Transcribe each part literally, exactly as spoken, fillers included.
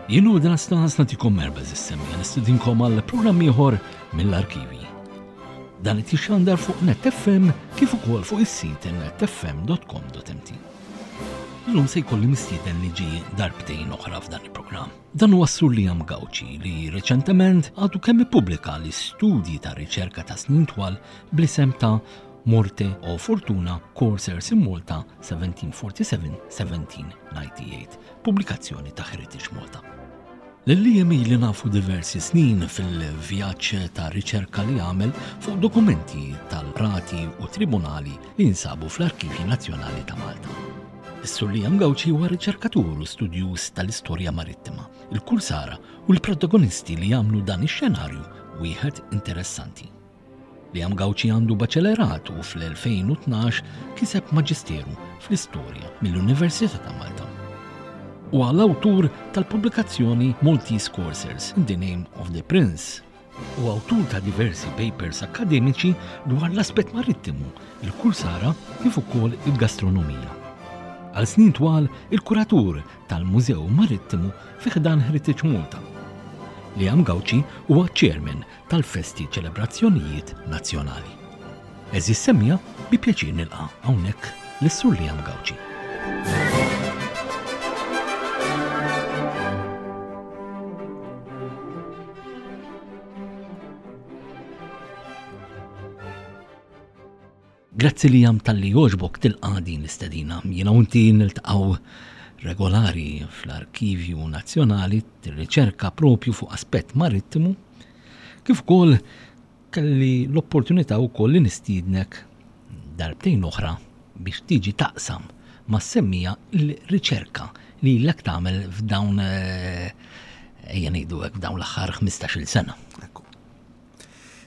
Jien u dan stas nagħtikom merba żis-semmiegħa nistedinkom għal programm ieħor mill-arkivi. Dan qed jixxandar fuq Net F M kif ukoll fuq is-sit netfm dot com dot M T. Illum se jkolli mistieden li ġi darbtejn oħra f'dan il-programm. Dan huwa s-Sur Liam Gauci, li reċentement għadu kemm ippubblika l-istudji ta' riċerka ta' snin twal bl-isem ta' Morte o Fortuna, Corsairs in Malta seventeen forty-seven seventeen ninety-eight, pubblikazzjoni ta' Heritage Malta. Lil Liam ili nafu diversi snin fil-vjaġġ ta' riċerka li għamel fuq dokumenti tal-qrati u tribunali li jinsabu fl-Arkivji Nazzjonali ta' Malta. Is-Sur Liam Gauci huwa riċerkatur u studjuż tal-istorja marittima, il-kursara u l-protagonisti li jagħmlu dan ix-xenarju wieħed interessanti. Liam Gauci għandu baċellerat u fl-elfejn u tnax kiseb maġisteru fl-istorja mill-Università ta' Malta. U l-awtur tal-pubblikazzjoni Maltese Corsairs in the Name of the Prince u awtur ta' diversi papers akademiċi dwar l-aspett marittimu, il-kursara kif ukoll il-gastronomija. Għal snin twal il-kuratur tal-Mużew Marittimu fi ħdan Heritage Malta. Liam Gauci huwa chairman tal-Festi Ċelebrazzjonijiet Nazzjonali. Għeżież semmiegħa, bi pjaċir nilqa' hawnhekk lis-Sur Liam Gauci. Grazzi Liam talli għoġbok tilqa' din l-istedina. Jiena u inti niltaqgħu regolari fl-Arkivju Nazzjonali, tirriċerka propju fuq aspett marittimu, kif ukoll kelli l-opportunità wkoll li nistiednek darbtejn oħra biex tiġi taqsam mas-semmiegħa l-riċerka li ilek tagħmel f'dawn, eh, ejja ngħidu hekk, f'dawn l-aħħar ħmistax-il sena. Ekku.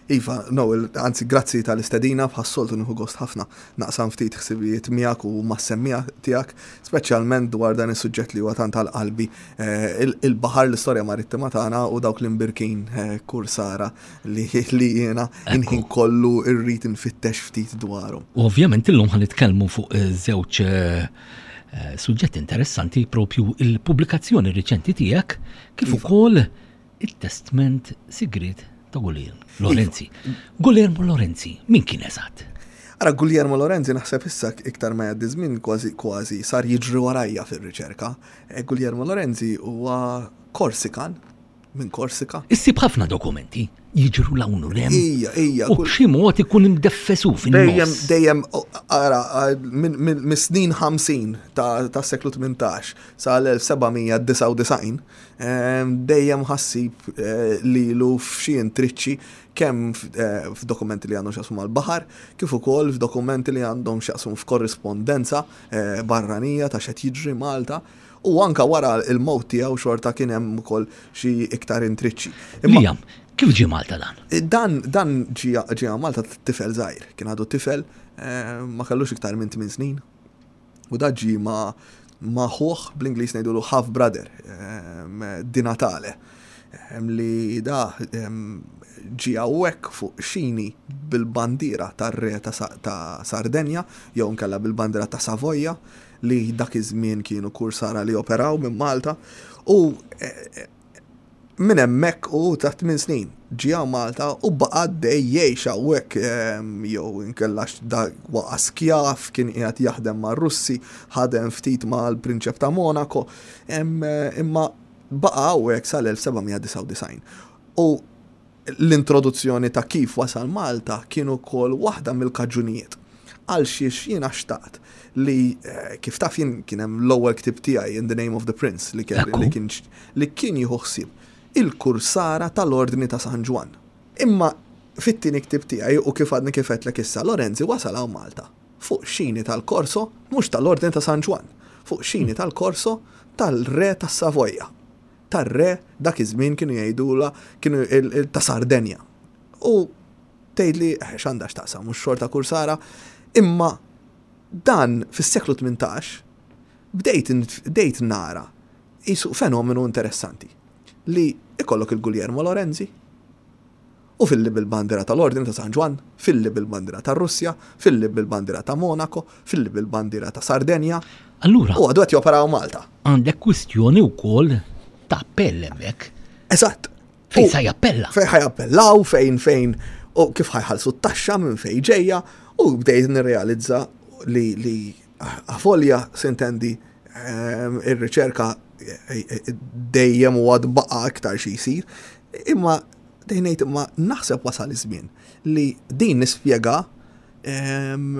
Iva, no, anzi, grazzi tal-istedina, bħas-soltu nieħu gost ħafna naqsam ftit ħsibijiet miegħek u mas-semmiegħa tiegħek, speċjalment dwar dan is-suġġett li huwa tant għal qalbi, eh, il-baħar, l-istorja marittima tagħna u dawk l-imbirkin eh, kursara li li jiena inħin kollu irrid nfittex ftit dwarhom. U ovvjament illum ħa nitkellmu fuq eh, żewġ suġġetti interessanti, propju il-pubblikazzjoni riċenti tiegħek kif iva. ukoll it-testment sigriet ta' Guglielmo Lorenzi. Guglielmo Lorenzi, min kien eżatt? Ara, Guglielmo Lorenzi, naħseb issa iktar ma jgħaddi żmien kważi kważi sar jiġri warajja fir-riċerka. E, Guglielmo Lorenzi huwa Korsikan, minn Korsika. Issib ħafna dokumenti jiġru 'l hawn u 'l hemm. Ija, ija. U b'xi mod ikun imdeffesu fin-nofs. Dejjem, dejjem, ara, minn snin ħamsin ta' seklu tmintax sa l-elf seba' mija disgħa u disgħin, dejjem ħa ssib eh, lilu f'xi intriċċi, kemm eh, f'dokumenti li għandhom x'jaqsmu mal-baħar, kif ukoll f'dokumenti li għandhom x'jaqsmu f'korrispondenza eh, barranija ta' x'qed jiġri Malta. U anka wara il-mewt tiegħu xorta kien hemm ukoll xi iktar intriċċi. Liam, kif ġie Malta dan? Dan dan ġie Malta tifel żgħir, kien għadu tifel, eh, ma kellux iktar minn tmien snin. U da ġie ma ma ħuh, bl-Ingliż ngħidulu half brother, Di Natale, li da ġie hawnhekk fuq xini bil-bandiera tar-re ta' Sardenja jew nkella bil-bandiera ta' Savoja, li dak iż-żmien kienu kursara li operaw minn Malta, u eh, minn hemmhekk u ta' tmien snin ġie Malta u baqa' dej jgħix hawnhekk, jew inkella da waqa' skjav, kien qiegħed jaħdem mar-Russi, ħadem ftit mal-Prinċep ta' Monaco, imma baqa' hawnhekk sal-elf seba' mija disgħa u disgħin. U l-introduzzjoni ta' kif wasal Malta kienu kol waħda mill-kaġunijiet għal xiex jiena xtaqt li, eh, kif taf jien, kien hemm l-ewwel ktib tiegħi, In the Name of the Prince, li kien li kien li kien jieħu ħsieb il-kursara tal-Ordni ta' San Ġwann. Imma fit-tieni ktib tiegħi, u kif għadni kif għedtlek issa, Lorenzi wasal hawn Malta fuq xini tal-Korso, mhux tal-Ordni ta' San Ġwann, fuq xini tal-Korso tal-Re tas-Savoja. Tar-re dak iż-żmien kienu jgħidula kienu ta' Sardenja. U tgħidli eh, x'għandha x'taqsam, mhux xorta kursara, imma dan fis-seklu tmintax bdejt bdejt nara jisu fenomenu interessanti li ikollok il-Guglielmo Lorenzi u filli bil-bandira tal-Ordni ta' San Ġwann, filli bil-bandira ta' Russja, filli bil-bandira ta' Monaco, filli bil-bandira ta' Sardenja. Allura. U għadu qed joperaw Malta. Għandek kwistjoni wkoll ta' appell hemmhekk. Eżatt. Fejn sa jappella? Fejn ħa jappellaw, fejn fejn u kif ħa jħallsu t-taxxa minn fejn ġejja, u bdejt nirrealizza li li avolja, s'intendi, ehm, ir-riċerka eh, eh, dejjem u għad baqa aktar xi jsir, imma dejjem ngħid, imma naħseb wasal iż-żmien li din nispjega ehm,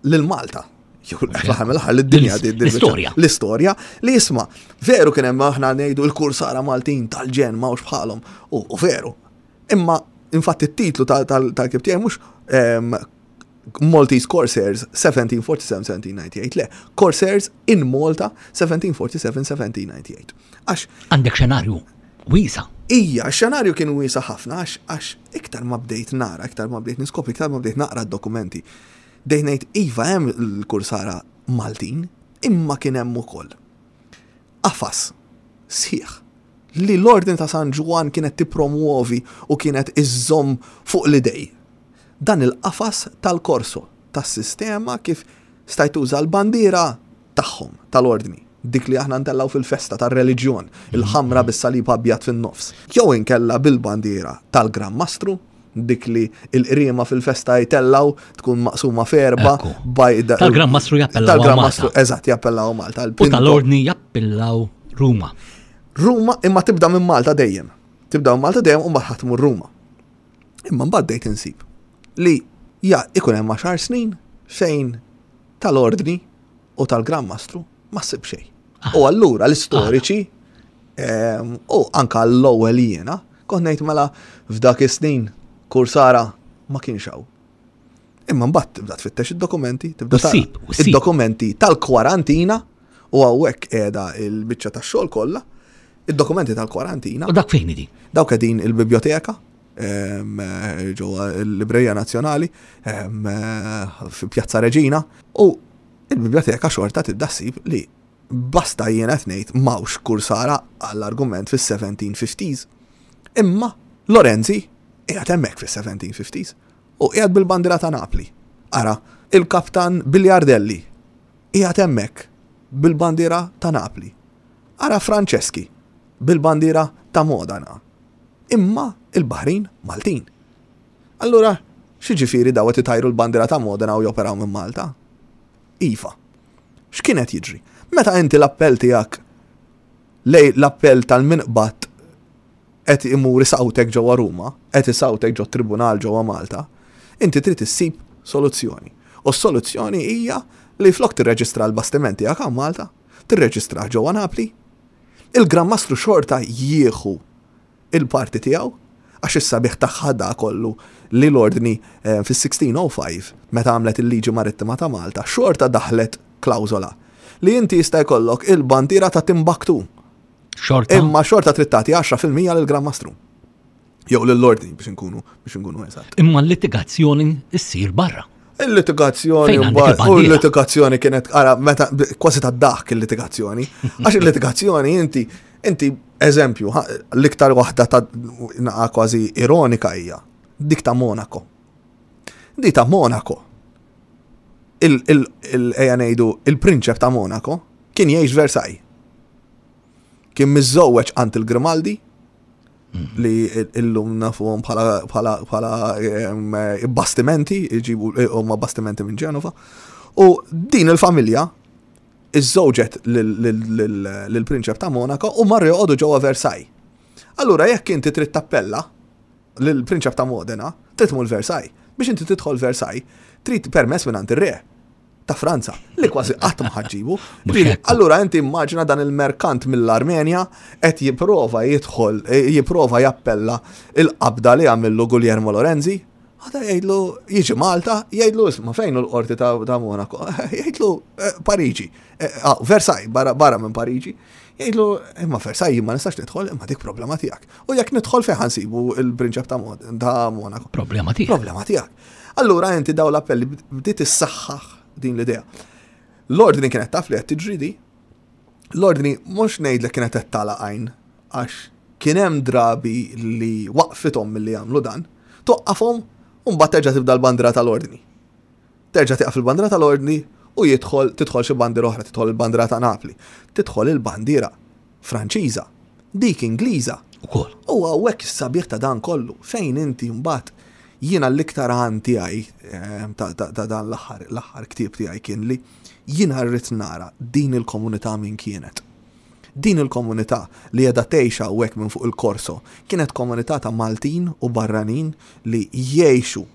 lil Malta. Jew fl-aħħar mill-aħħar lid-dinja din- din- L-istorja. L-istorja li isma', veru kien hemm, aħna ngħidu l-kursara Maltin tal-ġen, m'hawnx bħalhom, u u veru. Imma infatti it-titlu tal-ktieb tiegħi mhux ehm, Maltese Corsairs seventeen forty-seven seventeen ninety-eight, le, Corsairs in Malta seventeen forty-seven seventeen ninety-eight. Għax Għandek xenarju wiesa'. Ija, xenarju kien wiesa' ħafna, għax għax iktar ma bdejt nara, iktar ma bdejt niskopri, iktar ma bdejt naqra d-dokumenti. Bdejt ngħid, iva, hemm l-kursara Maltin, imma kien hemm ukoll qafas sħiħ li l-Ordni ta' San Ġwann kienet tippromuovi u kienet iżżomm fuq l-idej. Dan il-qafas tal-korso, tas-sistema kif stajt tuża l-bandiera tagħhom tal-ordni, dik li aħna ntellaw fil-festa tar-reliġjon, il-ħamra bis-salib abjad fin-nofs. Jew inkella bil-bandiera tal-Gran Mastru, dik li il-qriema fil-festa jtellaw, tkun maqsuma f'erba'. Ekku. Bajda. Tal-Gran Mastru jappellaw Tal-Gran Malta. Mastru, eżatt, jappellaw Malta. U Il-Pinto- tal-ordni jappellaw Ruma. Ruma, imma tibda minn Malta dejjem. Tibda minn Malta dejjem u mbagħad tmur Ruma. Imma mbagħad bdejt insib li ja ikun hemm għaxar snin fejn tal-ordni u tal-Gran Mastru ma ssib xejn. U allura l-istoriċi em, u anka l-ewwel jiena kont ngħid, mela f'dak is-snin kursara ma kienx hawn. Imma mbagħad tibda tfittex id-dokumenti, tibda U ssib, tara u ssib. id-dokumenti tal-kwarantina, u hawnhekk qiegħda il-biċċa tax-xogħol kollha, id-dokumenti tal-kwarantina. U dak fejn idi? Dawk qegħdin il-biblioteka em, ġewwa l-Librerija Nazzjonali em, fi Pjazza Reġina, u il-biblioteka xorta tibda ssib li basta, jien qed ngħid, m'hawnx kursara għall-argument fis-seventeen fifties. Imma Lorenzi qiegħed hemmhekk fis-seventeen fifties u qiegħed bil-bandiera ta' Napli. Ara, il-kaptan Bigliardelli qiegħed hemmhekk bil-bandiera ta' Napli. Ara Franceschi bil-bandiera ta' Modena. Imma il-Baħrin Maltin. Allura, x'jiġifieri, daw qed itajru l-bandiera ta' Modena u joperaw minn Malta? Iva. X'kienet jiġri? Meta inti l-appell tiegħek lej l-appell tal-minqbat qed imur isawtek ġewwa Ruma, qed isawtek ġo tribunal ġewwa Malta, inti trid issib soluzzjoni. U s-soluzzjoni hija li flok tirreġistra l-bastiment tiegħek hawn Malta, tirreġistra ġewwa Napli. Il-Gran Mastru xorta jieħu il-parti tiegħu, għax is-sabiħ tagħha da kollu li l-ordni eh, fis-sixteen oh five, meta għamlet il-liġi marittima ta' Malta, xorta daħlet klawżola li inti jista' jkollok il-bandiera ta' Timbuktu. Xorta. Imma xorta trid tagħti għaxra fil-mija lill-Gran Mastru. Jew lill-ordni, biex nkunu biex nkunu eżatt. Imma l-litigazzjoni ssir barra. Il-litigazzjoni Fejn għandek mbagħad- u il-bandiera? l-litigazzjoni kienet, ara, meta kważi ta' daħk il-litigazzjoni. Għax il-litigazzjoni inti inti eżempju, ha, l-iktar waħda ta' naqa kważi ironika hija dik ta' Monaco. Dik ta' Monaco. Il il il ejja ngħidu il-prinċep ta' Monaco kien jgħix Versailles. Kien miżżewweġ għand il-Grimaldi, li illum nafuhom bħala bħala bħala em, bastimenti, iġibu huma bastimenti minn Ġenova. U din il-familja iżżewġet lill-prinċep ta' Monaco u marru joqogħdu ġewwa Versailles. Allura jekk inti trid tappella lill-prinċep ta' Modena, trid tmur Versailles. Biex inti tidħol Versailles, trid permess minn ir-re ta' Franza, li kważi qatt ma ħa ġġibu. Mhux hekk. Allura inti immaġina dan il-merkant mill-Armenja qed jipprova jidħol, eh, jipprova jappella il-qabda li għamillu Guglielmo Lorenzi. Għada jgħidlu, jiġi Malta, jgħidlu, isma', fejn hu l-qorti ta' ta' Monaco? Jgħidlu eh, Pariġi, Eh, ah, Versailles, barra, barra minn Pariġi. Jgħidlu, imma Versailles ma nistax nidħol, imma dik problema tiegħek. U jekk nidħol, fejn ħa nsibu il-prinċep ta' Mod- ta' Monaco? Problema tiegħek. Problema tiegħek. Allura inti daw l-appelli bdiet issaħħaħ din l-idea. L-ordni kienet taf li qed tiġri di. L-ordni mhux ngħidlek kienet qed tagħlaq għajn, għax kien hemm drabi li waqfithom milli jagħmlu dan, toqqafhom u mbagħad terġa' tibda l-bandiera tal-ordni. Terġa' tieqaf il-bandiera tal-ordni u jidħol tidħol xi bandiera oħra, tidħol il-bandiera ta' Napli, tidħol il-bandiera Franċiża. Dik Ingliża. Ukoll. U hawnhekk is-sabiħ ta' dan kollu, fejn inti mbagħad jiena l-iktar għan tiegħi eh, ta' ta' ta' dan l-aħħar l-aħħar ktieb tiegħi kien li jiena rrid nara din il-komunità min kienet. Din il-komunità li qiegħda tgħix hawnhekk minn fuq il-Korso kienet komunità ta' Maltin u barranin li jgħixu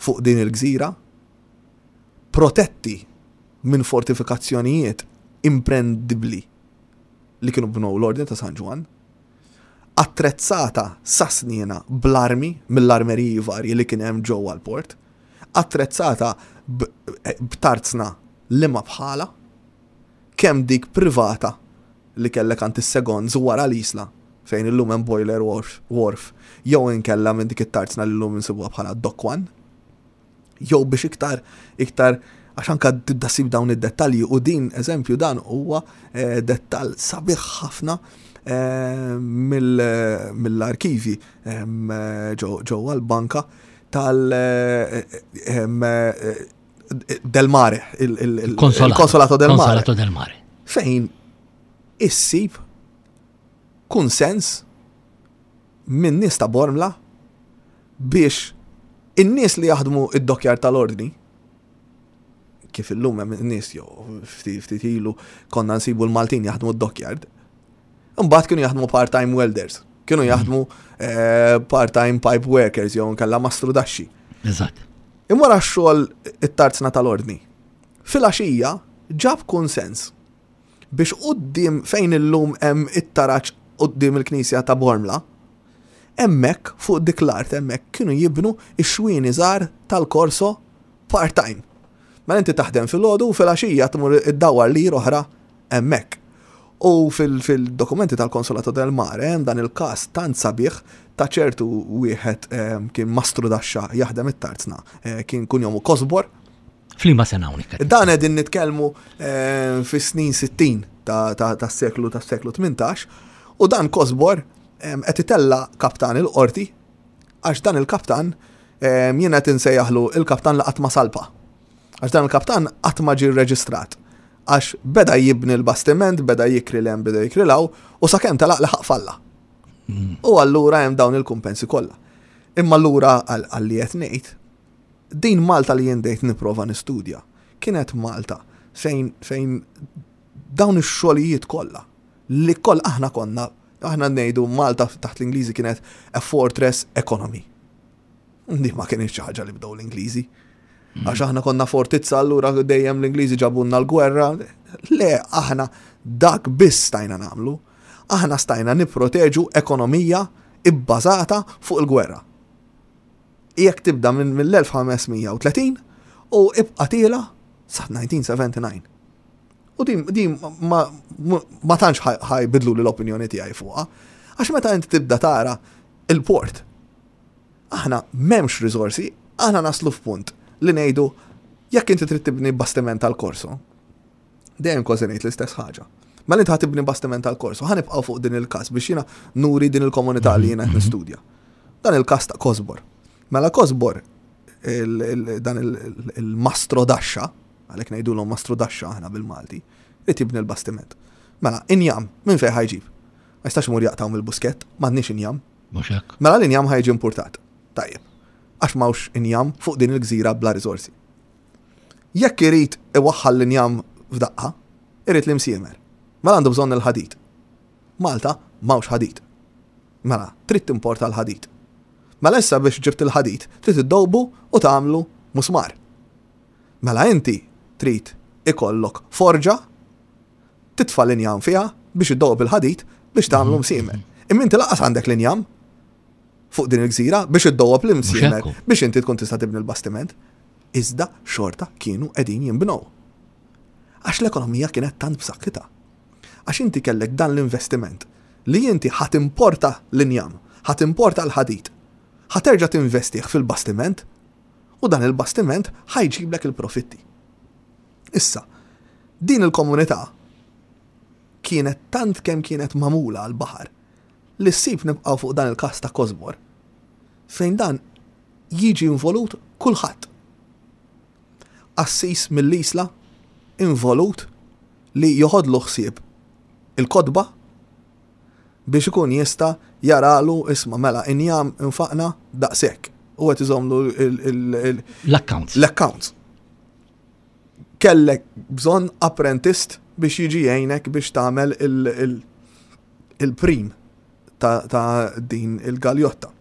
fuq din il-gżira protetti minn fortifikazzjonijiet imprendibbli li kienu bnew l-Ordni ta' San Ġwann, attrezzata sa sniena bl-armi mill-armeriji varji li kien hemm ġewwa l-port, attrezzata b- b'tarzna li ma bħala, kemm dik privata li kellek għand is-seconds wara l-isla fejn illum hemm boiler wharf, wharf jew inkella minn dik it-tarzna li llum insibuha bħala Dock One, jew biex iktar iktar għax anka tibda ssib dawn id-dettalji u din eżempju dan huwa eh, dettall sabiħ ħafna eh, mill- mill-arkivi em, eh, ġew- ġewwa l-banka tal eh, em, eh, Del Mare, il- il- il- Konsolato. il-Konsolato del Mare Konsolato del Mare. fejn issib kunsens minn nies ta' Bormla biex in-nies li jaħdmu id-dockyard tal-ordni kif illum hemm nies jew ftit ftit ilu konna nsibu l-Maltin jaħdmu d-dockyard. Imbagħad kienu jaħdmu part-time welders, kienu jaħdmu eh, part-time pipe workers jew nkella mastru daxxi. Eżatt. Imma xogħol it-tarzna tal-ordni. Filgħaxija ġab konsens biex quddiem fejn illum hemm it-taraġ quddiem il-Knisja ta' Bormla, hemmhekk fuq dik l-art hemmhekk kienu jibnu ix-xwieni żgħar tal-korso part-time. Mela inti taħdem fil-għodu u fil-għaxija tmur iddawwar li oħra hemmhekk. U fil-dokumenti tal-Konsolato del Mare hemm dan il-każ tant sabiħ ta' ċertu wieħed em, kien mastru daxxa jaħdem it-tarzna, eh, kien kunjomu Kosbor. F'liema sena hawnhekk? Dan qegħdin nitkellmu eh, fis-snin sittin ta' ta' tas-seklu tas-seklu tmintax u dan Kosbor em, qed itella kaptan il-qorti għax dan il-kaptan em, jien qed insejjaħlu il-kaptan li qatt ma salpa. Għax dan il-kaptan qatt ma ġie rreġistrat. Għax beda jibni l-bastiment, beda jikri l beda jikri 'l hawn, u sakemm telaq laħaq falla. U allura hemm dawn il-kumpensi kollha. Imma allura għal li qed ngħid, din Malta li jien dejt nipprova nistudja, kienet Malta fejn fejn dawn ix-xogħlijiet kollha li koll aħna konna aħna ngħidu Malta taħt l-Ingliżi kienet a fortress economy. Di ma kienx xi ħaġa li bdew l-Ingliżi. Għax aħna konna fortizza, allura dejjem l-Ingliżi ġabunna l-gwerra. Le, aħna dak biss stajna nagħmlu. Aħna stajna nipproteġu ekonomija ibbażata fuq il-gwerra. Jekk tibda minn mill-elf ħames mija u tletin u ibqa' tiela sa elf disa' mija u sebgħa u disgħin. U din, din ma, ma, ma tantx ħa jbiddlu li l-opinjoni tiegħi fuqha. Għax meta inti tibda tara il-port, aħna m'hemmx risorsi, aħna naslu f'punt li ngħidu jekk inti trid tibni bastiment tal-korso, dejjem kważi ngħid l-istess ħaġa. Mela inti ħa tibni bastiment tal-korso, ħa nibqgħu fuq din il-każ biex jiena nuri din il-komunità li jiena qed nistudja. Dan il-każ ta' Kosbor. Mela Kosbor, il- il- dan il- il- il-mastro daxxa, għalhekk ngħidulhom mastro daxxa aħna bil-Malti, li tibni l-bastiment. Mela, injam, minn fejn ħa jġib? Ma jistax imur jaqtaw mill-buskett, m'għandniex injam. Mhux hekk. Mela l-injam ħa jiġi importat. Tajjeb. Għax m'hawnx injam fuq din il-gżira bla risorsi. Jekk irid iwaħħal l-injam f'daqqa, irid l-imsiemer. Mela għandu bżonn il-ħadid. Malta m'hawnx ħadid. Mela, trid timporta l-ħadid. Mela issa biex ġibt il-ħadid, trid iddowbu u tagħmlu musmar. Mela inti trid ikollok forġa titfa' l-injam fiha biex iddob il-ħadid biex tagħmlu msiemer. Imma inti lanqas għandek l-injam fuq din il-gżira biex iddowab l-imsiemer hekk hu. biex inti tkun tista' tibni l-bastiment. Iżda xorta kienu qegħdin jinbnew. Għax l-ekonomija kienet tant b'saħħitha. Għax inti kellek dan l-investiment li inti ħa timporta l-injam, ħa timporta l-ħadid, ħa terġa' tinvestih fil-bastiment u dan il-bastiment ħa jġiblek il-profitti. Issa, din il-komunità kienet tant kemm kienet magħmula għal-baħar li ssib nibqgħu fuq dan il-każ ta' Kosbor fejn dan jiġi involut kulħadd. Assis mill-isla involut li joħodlu ħsieb il-kotba Biex ikun jista' jaralu, isma', mela injam infaqna daqshekk. U qed iżomlu l-accounts. L-accounts. Kellek bżonn apprentist biex jiġi jgħinek biex tagħmel il-prim ta' din il-galjotta.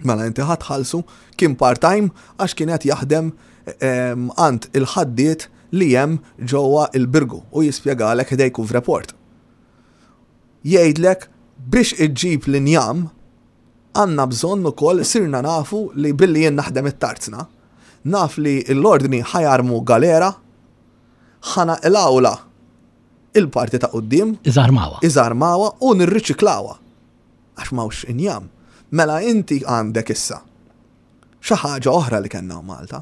Mela inti ħa tħallsu, kien part-time għax kien qed jaħdem għand il-ħaddiet li hemm ġewwa il-Birgu u jispjegalek ħdejn report. Jgħidlek biex iġġib l-injam għandna bżonn ukoll sirna nafu li billi jien naħdem it-tarzna, naf li l-ordni ħa jarmu galera, ħa naqilgħulha il-parti ta' quddiem. Iżarmawa. Iżarmawa u nirriċiklawa. Għax m'hawnx injam. Mela inti għandek issa xi ħaġa oħra li kellna Malta.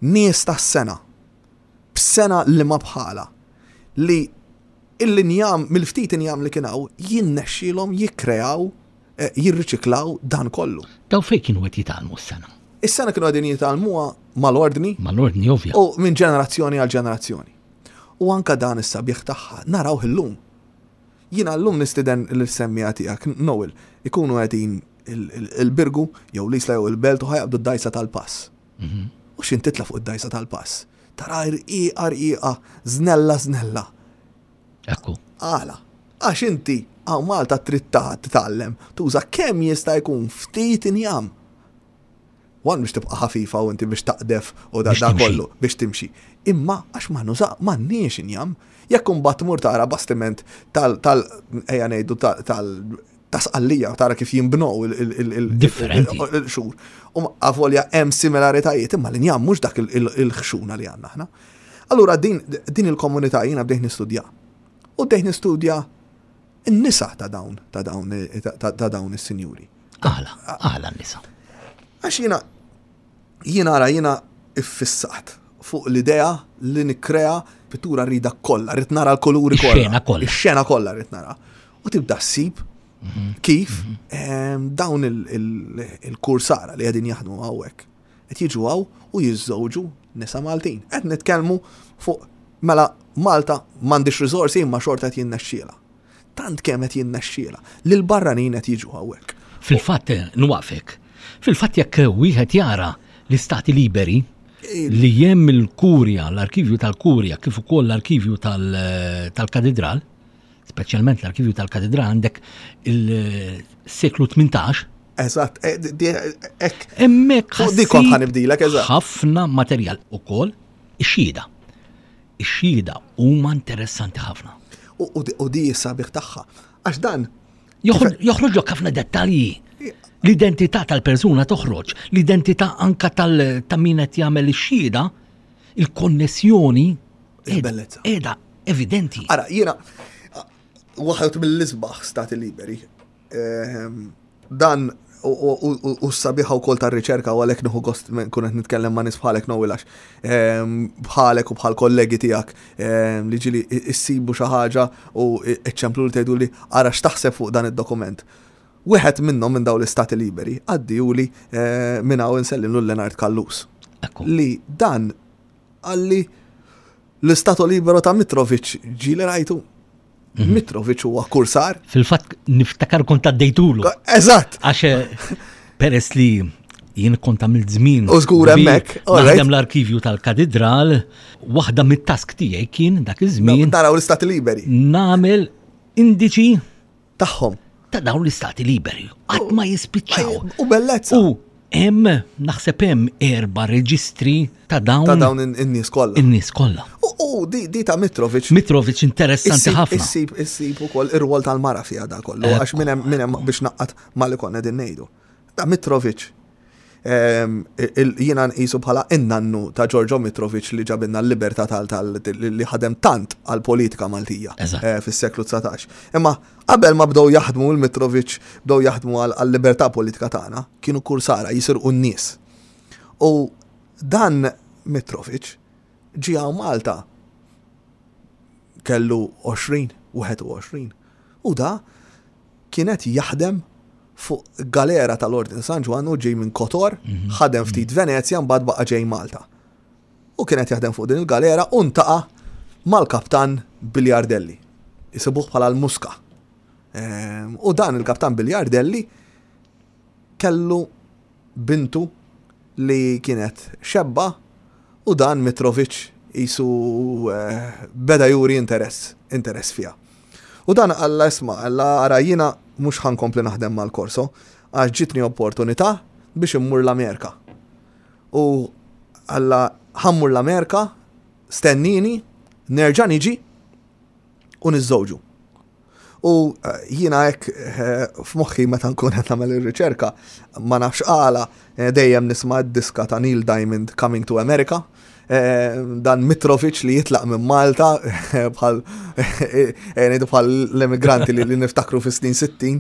Nies tas-sengħa. B'sengħa li ma bħala. Li l-injam, mill-ftit injam li kien hawn, jinnexxilhom jikkreaw, eh, jirriċiklaw dan kollu. Daw fejn kienu qed jitgħallmu s-sengħa? Is-sengħa kienu qegħdin jitgħallmuha mal-ordni. Mal-ordni, ovvja. U minn ġenerazzjoni għal ġenerazzjoni. U anka dan is-sabiħ tagħha narawh illum. Jiena llum nistieden l-semmiegħa tiegħek, Noel, ikunu qegħdin il-Birgu, jew l-Isla jew il-Belt u ħa jaqbdu d-dajsa tal-pass. Mhm. U x'ħin titla' fuq id-dajsa tal-pass? Tara rqiqa rqiqa, żnella żnella. Ekku. Għala, għax inti hawn Malta trid titgħallem tuża kemm jista' jkun ftit injam. One biex tibqa' ħafifa u inti biex taqdef u da kollu biex timxi. Imma għax ma nuża m'għandniex injam. Jekk imbagħad tmur tara bastiment tal tal ejja ngħidu tal ta' Sqallija tara kif jinbnew il-xur. U avolja hemm similaritajiet, imma l-injam mhux dak il-ħxuna li għandna aħna. Allura din il-komunità jiena bdejt nistudja. U bdejt nistudja n-nisa ta' dawn ta' dawn ta' dawn is-sinjuri. Għala, għala n-nisa. Għax jiena jiena ara jiena iffissat fuq l-idea li nikkrea pittura, rridha kollha, rrid nara l-kuluri kollha. Ix-xena kollha. Ix-xena kollha rrid nara. U tibda ssib kif dawn il-kursara li qegħdin jaħdmu hawnhekk qed jiġu hawn u jiżżewġu nisa Maltin. Qed nitkellmu fuq mela Malta m'għandix riżorsi imma xorta qed jinnexxiela. Tant kemm qed jinnexxiela li l-barranin qed jiġu hawnhekk. Fil-fatt, nwaqfek. Fil-fatt jekk wieħed jara l-Istati Liberi li hemm il-Kurja, l-arkivju tal-Kurja, kif ukoll l-arkivju tal-Katedral, speċjalment l-arkivju tal-Katedral, għandek il-seklu tmintax. Eżatt, hekk. Hemmhekk Dik kont ħa nibdilek, eżatt. ħafna materjal ukoll ix-xhieda. Ix-xhieda huma interessanti ħafna. U di sabiħ tagħha. Għax dan joħroġlok ħafna dettalji. L-identità tal-persuna toħroġ, l-identità anka tal ta' min qed jagħmel ix-xhieda, il-konnessjoni Il-bellezza. qiegħda evidenti. Ara, jiena waħed mill-isbaħ stati liberi. Ehm, dan u s-sabiħa u kol tar-riċerka u għalhekk nieħu gost kun qed nitkellem ma' nies bħalek, Noel, għax ehm, bħalek u bħal kollegi tiegħek ehm, li ġieli issibu xi ħaġa u iċċemplu li tgħidu li ara x'taħseb fuq dan id-dokument. Wieħed minnhom minn dawn l-istati liberi għaddihuli eh, minn hawn insellimlu Leonard Callus. Li dan qalli l-Istato Libero ta' Mitrovic ġieli rajtu. Mhm. Mitrovic huwa kursar. Fil-fatt niftakar kont għaddejtulu. Eżatt. Għax eh, peress li jien kont għamilt żmien. U żgur hemmhekk. Naħdem l-arkivju tal-Katedral, waħda mit-task tiegħi kien dak iż-żmien. Naraw l-Istati Liberi. Nagħmel indiċi tagħhom. Ta' dawn l-Istati Liberi. Qatt ma jispiċċaw. U bellezza. U hemm naħseb hemm erba' reġistri ta' dawn. Ta' dawn in-nies kollha. In-nies kollha. U di, di ta' Mitrovic. Mitrovic interessanti ħafna. Issib issib ukoll ir-rwol tal-mara fiha da kollu għax minn hemm minn hemm biex naqqat ma li konna din ngħidu. Ta' Mitrovic jiena nqisu bħala in-nannu ta' Giorgio Mitrovic li ġabilna l-libertà tal li ħadem tant għal-politika Maltija eh, fis-seklu dsatax. Imma qabel ma bdew jaħdmu l-Mitrovic, bdew jaħdmu għal-libertà politika tagħna, kienu kursara jisirqu n-nies. U dan Mitrovic ġie hawn Malta kellu għoxrin, wieħed u għoxrin. U da kienet jaħdem fuq galera tal-Ordin San Ġwann u ġej minn Kotor, mhm. ħadem ftit Venezja, mbagħad baqa' ġej Malta. U kienet jaħdem fuq din il-galera u ltaqa' mal-kaptan Bigliardelli. Isibuh bħala l-Muska. U dan il-kaptan Bigliardelli kellu bintu li kienet xebba u dan Mitrovic jisu eh, beda juri interess, interess fija. U dan qalla isma', qalla ara jiena mhux ħa nkompli naħdem mal-Korso, għax ġitni opportunità biex immur l-Amerika. U qalla ħa mmur l-Amerika, stennini, nerġa' niġi u niżżewġu. U eh, jiena hekk eh, f'moħħi meta nkun qed nagħmel ir-riċerka, ma nafx għala eh, dejjem nisma' d-diska ta' Neil Diamond Coming to America. Dan Mitrovic li jitlaq minn Malta bħal ngħidu bħal l-emigranti li niftakru fis-snin sittin,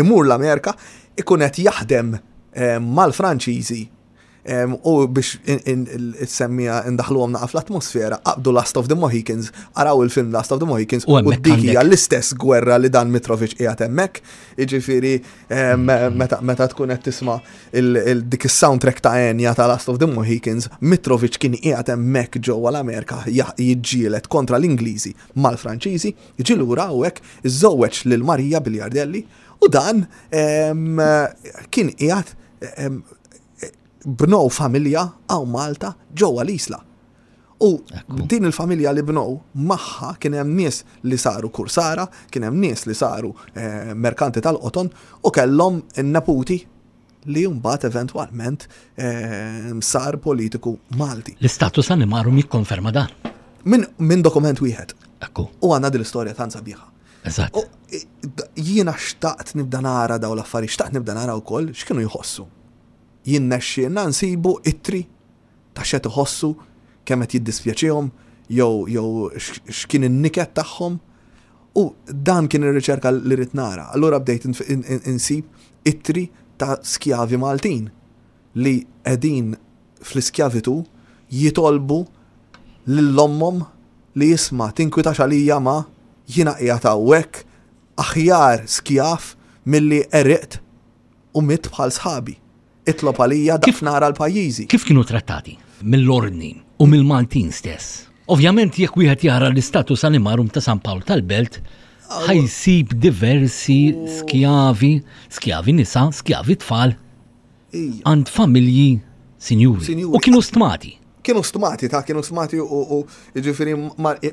imur l-Amerika, ikun qed jaħdem mal-Franċiżi. U biex semmija indaħluhom naqa fl-atmosfera, aqbdu Last of the Mohicans, araw il-film Last of the Mohicans, u dik hija l-istess gwerra li dan Mitrovic qiegħed hemmhekk. Jiġifieri meta tkun qed tisma' dik is-soundtrack ta' Enya ta' Last of the Mohicans, Mitrovic kien qiegħed hemmhekk ġewwa l-Amerika jiġġieled kontra l-Ingliżi mal-Franċiżi, jiġi lura u hekk iżżewweġ lil Marija Bigliardelli u dan kien qiegħed bnow familja hawn Malta ġewwa l-Isla. U din il-familja li bnow magħha kien hemm nies li saru kursara, kien hemm nies li saru eh, merkanti tal-qoton u kellhom neputi li mbagħad eventwalment eh, sar politiku Malti. L-istatus animarum jikkonferma dan. Min, min dokument wieħed. Ekku. U għandna din l-istorja tant sabiħa. Eżatt. Jiena xtaqt nibda nara daw l-affarijiet, xtaqt nibda nara wkoll x'kienu jħossu. Jien nexxielna nsibu ittri ta' x'qed iħossu, kemm qed jiddispjaċihom, jew jew x'kien in-niket tagħhom. U dan kien ir-riċerka li rrid nara. Allura bdejt insib ittri ta' skjavi Maltin li qegħdin fl-iskjavitu jitolbu lil ommhom li jisma' tinkwitax għalija ma jiena qiegħed hawnhekk aħjar skjav milli għeriqt u mitt bħal sħabi. Itlob għalija kif nara l-pajjiżi. Kif kienu trattati? Mill-ordni u mill-Maltin stess. Ovvjament jekk wieħed jara l-istatus animarum ta' San Pawl tal-Belt, ħajsib diversi skjavi, skjavi nisa, skjavi tfal, għand familji sinjuri. U kienu stmati. Kienu stmati, ta' kienu stmati u jiġifieri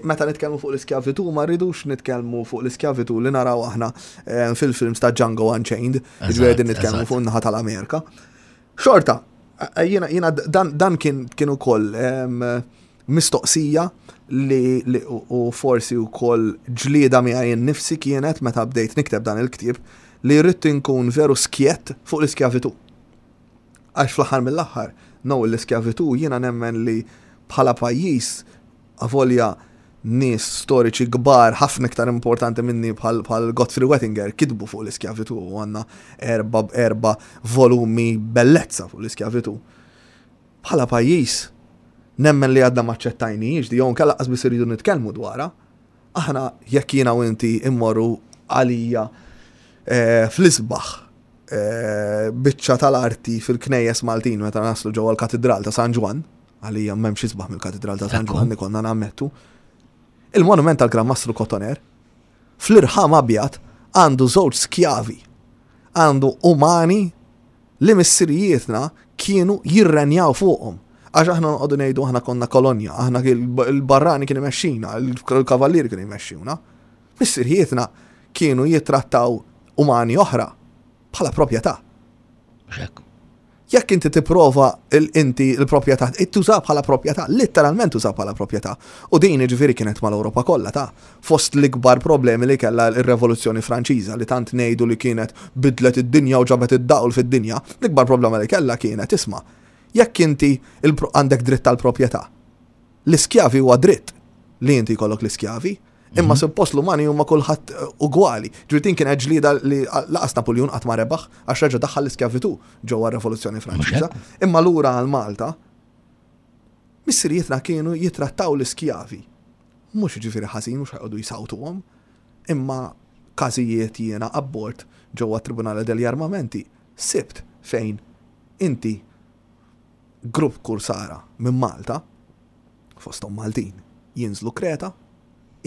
meta nitkellmu fuq l-iskjavitu, ma rridux nitkellmu fuq l-iskjavitu li naraw aħna eh, fil-films ta' Django Unchained, jiġifieri din nitkellmu fuq in-naħa tal-Amerika. Xorta, jiena, jiena dan, dan kien, kien ukoll mistoqsija li, li u forsi wkoll ġlieda miegħi nnifsi kienet meta bdejt nikteb dan il-ktieb li rrid inkun veru skjett fuq l-iskjavitu. Għax fl-aħħar mill-aħħar, no, l-iskjavitu jiena nemmen li bħala pajjiż avolja nies storiċi kbar ħafna iktar importanti minni bħal, bħal Godfrey Wettinger kitbu fuq l-iskjavitu u għandna erba, erba volumi bellezza fuq l-iskjavitu. Bħala pajjiż nemmen li għadna maċċettajniex di jew inkella qas biss iridu nitkellmu dwarha. Aħna jekk jiena u inti immorru għalija, eh, fl-isbaħ, eh, biċċa tal-arti fil-knejjes Maltin meta naslu ġewwa l-Katidral ta' San Ġwann, għalija m'hemmx isbaħ mill-Katidral ta' San Ekku. Ġwann, konna nammettu. Il-monument tal-Gran Mastru Cotoner fl-irħam abjad għandu żewġ skjavi, għandu umani li missirijietna kienu jirrenjaw fuqhom. Għax aħna noqogħdu ngħidu aħna konna kolonja, aħna il-barrani kien imexxina, il-kavallieri kienu jmexxuna. Missirijietna kienu jittrattaw umani oħra bħala proprjetà. Xek. Jekk inti tipprova inti l-proprjetà, tuża bħala proprjetà, letteralment tuża bħala proprjetà. U din jiġifieri kienet mal-Ewropa kollha ta' fost l-ikbar problemi li kellha r-Revoluzzjoni Franċiża li tant ngħidu li kienet bidlet id-dinja u ġabet id-dawl fid-dinja, l-ikbar problema li kellha kienet isma' jekk inti il-pro-, għandek dritt tal-proprjetà. L-iskjavi huwa dritt li inti jkollok l-iskjavi, imma Mhm. suppost l-umani huma kulħadd, eh, ugwali. Ġifieri din kienet ġlieda li laqas Napoleon qatt ma rebaħ għax reġa' daħħal l-iskjavitu ġewwa r-Revoluzzjoni Mhux Franċiża. hekk. Imma lura għal Malta, missirijietna kienu jitrattaw l-iskjavi. Mhux jiġifieri ħażin, mhux ħajqogħdu jsawtuhom, imma każijiet jiena abbord ġewwa Tribunale degli Armamenti sibt fejn inti grupp kursara minn Malta, fosthom Maltin, jinżlu Kreta,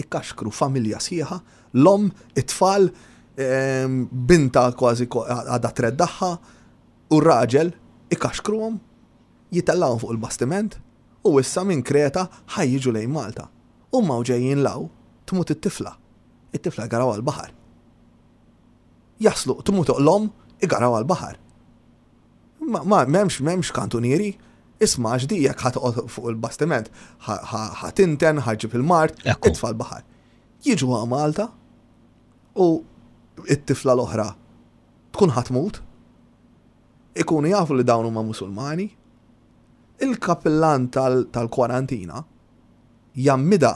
Ikkaxkru familja sħiħa, l-omm, it-tfal, ehm, binta kważi għadha treddaħħa, u r-raġel ikkaxkruhom, jitellgħuhom fuq il-bastiment, u issa minn Kreta ħa jiġu lejn Malta. U ma ġejjin 'l hawn, tmut it-tifla. It-tifla jgarawha l-baħar. Jaslu, tmut l-omm, igarawha l-baħar. Ma, ma m'hemmx, m'hemmx kantunieri, isma' għax di jekk ħa toqgħod fuq il-bastiment, ħa tinten, ħa ġġib il-mard, Ekku. itfa' l-baħar. Jiġu għal Malta u it-tifla l-oħra tkun ħa tmut, ikunu jafu li dawn huma Musulmani, il-kapillan tal- tal-kwarantina jgħammidha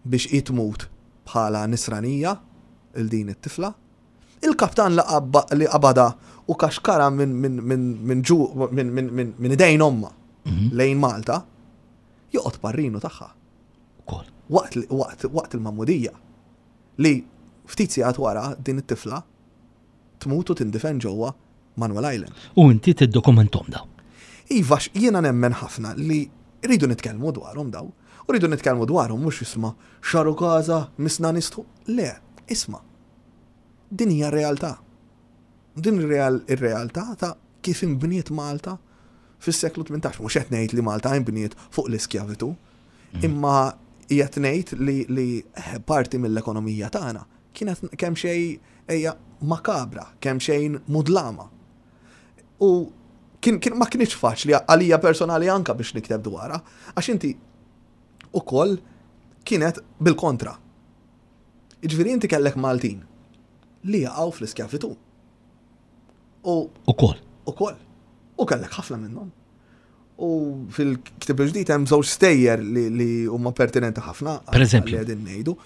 biex tmut bħala nisranija il din it-tifla. Il-kaptan li qabba- li qabada u kaxkara minn min, min, min, ġu minn min, min, min idejn omma lejn Malta, joqgħod parrinu tagħha. Ukoll. Waqt, li- waqt, waqt il-magħmudija li ftit sigħat wara din it-tifla tmut u tindifen ġewwa Manuel Island. U inti tiddokumentahom daw. Iva, x- jiena nemmen ħafna li rridu nitkellmu dwarhom daw. U rridu nitkellmu dwarhom mhux isma' x'għarukaża misna nistħu. Le, isma'. Din hija realtà. Din ir-real ir-realtà ta' kif inbniet Malta fis-seklu tmintax. Mhux qed ngħid li Malta inbniet fuq l-iskjavitu, imma qiegħed ngħid li, li eh, parti mill-ekonomija tagħna kienet kemm xejn ejja makabra, kemm xejn mudlama. U kien, kien ma kienx faċli għalija personali anka biex nikteb dwarha, għax inti ukoll kienet bil-kontra. Jiġifieri inti kellek Maltin li jaqgħu fl-iskjavitu. U Ukoll. ukoll. U kellek ħafna minnhom. U fil-ktib il-ġdid hemm żewġ stejjer li, li huma pertinenti ħafna. Per eżempju. Li qegħdin ngħidu.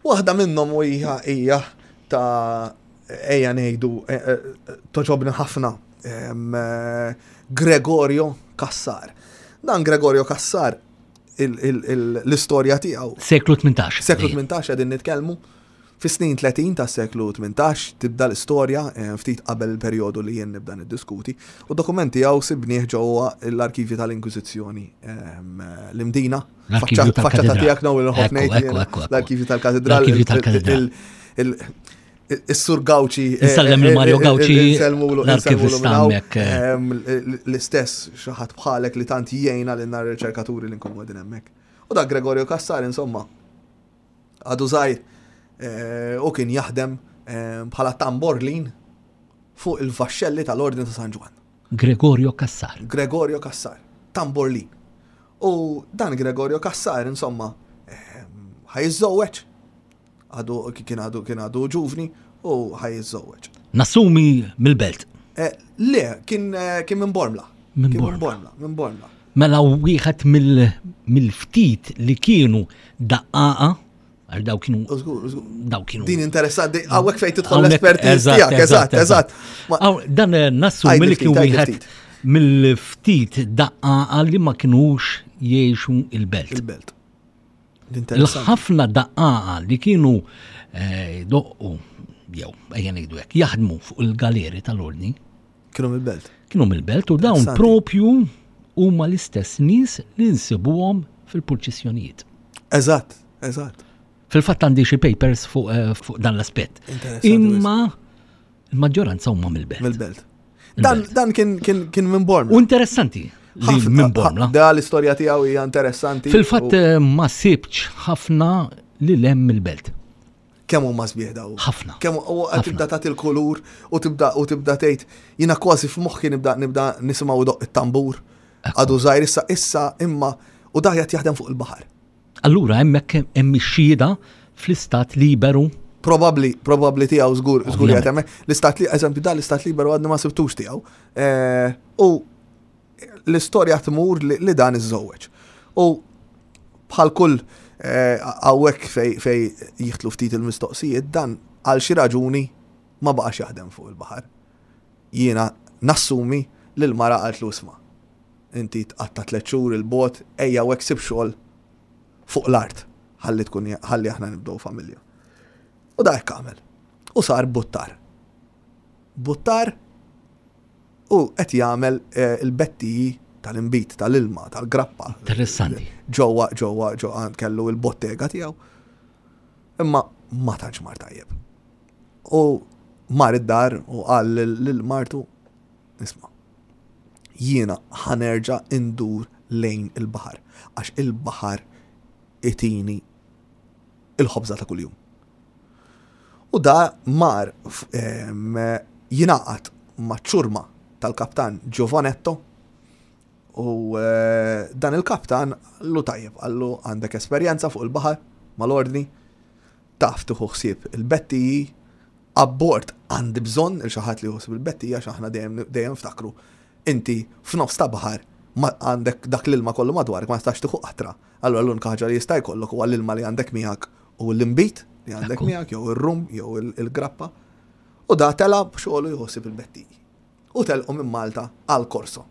Waħda minnhom u hija hija ta' ejja ngħidu eh, eh, togħġobni ħafna em, eh, Gregorio Cassar. Dan Gregorio Cassar il- il- il- l-istorja tiegħu Seklu tmintax. Seklu tmintax qegħdin nitkellmu. Fis-snin tletin tas seklu tmintax tibda l-istorja eh, ftit qabel il-perjodu li jien nibda niddiskuti u dokumenti għaw sibnieh ġewwa l-arkivji tal-Inkwiżizzjoni ehm, l-Imdina. L-arkivju Faċċata tal-katedral. tiegħek naw il-ħof Ekku, ngħid ekku, jiena. ekku, ekku. L-arkivju tal-katedral. L-arkivju tal-katedral. il- il- Is-Sur Gauci. eh, Insellem lil Mario Gauci, Insellmulu l-arkivista hemmhekk, eh. L-istess xi ħadd bħalek li tant jgħinna lil nar riċerkaturi li nkunu qegħdin hemmhekk. U da Gregorio Cassar insomma għadu żgħir eh, u kien jaħdem eh, bħala tamborlin fuq il-vaxxelli tal-Ordni ta' San Ġwann. Gregorio Cassar. Gregorio Cassar, tamborlin. U dan Gregorio Cassar, insomma, eh, ħa jiżżewweġ. Għadu kien għadu kien għadu ġuvni u ħa jiżżewweġ. Nassumi mill-belt. Eh, Le, kien eh, kien minn Bormla. Minn Kien Bormla. Bormla, minn Bormla. Mela wieħed mill- mill-ftit li kienu daqqaqa, għal daw kienu U żgur, żgur. daw kienu. Din interessanti, hawnhekk fejn tidħol Hawnhekk, l-espertiż eżatt, tiegħek, eżatt, eżatt. Ma- Aw, dan eh, nassumi Għidli li kien ftit, għidli wieħed ftit. mill-ftit daqqaqa li ma kinux jgħixu il-belt. Il-belt. Interessanti. Il-ħafna daqqaqa li kienu eh, doqqu, jew ejja ngħidu hekk, jaħdmu fuq il-galeri tal-ordni, Kienu mill-belt. kienu mill-belt u dawn Interessanti. propju huma l-istess nies li nsibuhom fil-purċissjonijiet. Eżatt, eżatt. Fil-fatt għandi xi papers fuq eh, fuq dan l-aspett. Interessanti Imma il-maġġoranza huma mill-belt. Mill-belt. Dan, dan kien, kien, kien minn Bormla. U interessanti li Ħafna- minn Bormla. ħa- Da l-istorja tiegħu hija interessanti. Fil-fatt u eh, ma sibx ħafna li lem mill-belt. kemm huma sbieħ daw. Ħafna. Kemm u Ħafna. tibda tagħti l-kulur u tibda u tibda tgħid jiena kważi f'moħħi nibda nibda nisimgħu doq it-tambur. Għadu żgħir issa issa imma u da qed jaħdem fuq il-baħar. Allura hemmhekk hemm ix-xhieda fl-istat liberu. Probabli, probabli tiegħu żgur żgur Ovvjament. qiegħed hemmhekk. L-istat li eżempju da l-istat liberu għadni ma sibtux tiegħu. Eh, U l-istorja tmur li, li dan iżżewweġ. U bħal kull eh, hawnhekk fej, fej jihtlu ftit il-mistoqsijiet, dan għal xi raġuni ma baqax jaħdem fuq il-baħar. Jiena nassumi li l-mara qaltlu isma'. Inti tqatta' tliet xhur il-bot, ejja u sib xogħol fuq l-art ħalli tkun ħalli aħna nibdew familja. U da hekk għamel. U sar buttar. Buttar u qed jagħmel eh, il-bettiji tal-inbid, tal-ilma, tal-grappa. Interessanti. Ġewwa ġewwa ġewwa kellu il-bottega tiegħu. Imma ma tantx mar tajjeb. U mar id-dar u qal lil martu, isma', jiena ħa nerġa' indur lejn il-baħar, għax il-baħar itini il-ħobża ta' kuljum. U da mar jingħaqad maċ-ċurma tal-kaptan Giovanetto u eh, dan il-kaptan qallu tajjeb, qallu għandek esperjenza fuq il-baħar mal-ordni, taf tieħu ħsieb il-bettiji, abbord għandi bżonn il xi ħadd li jħossib il-bettija għax aħna dejjem dejjem ftakru. Inti f'nofs ta' baħar ma għandek dak l-ilma kollu madwarek ma tistax tieħu qatra. Allura l-unika ħaġa li jista' jkollok huwa l-ilma li għandek miegħek u l-inbid li għandek Ekku. miegħek jew ir-rum jew il- il-grappa. U da tela b'xogħlu jħossib il-bettiji. U telqu minn Malta għal Korso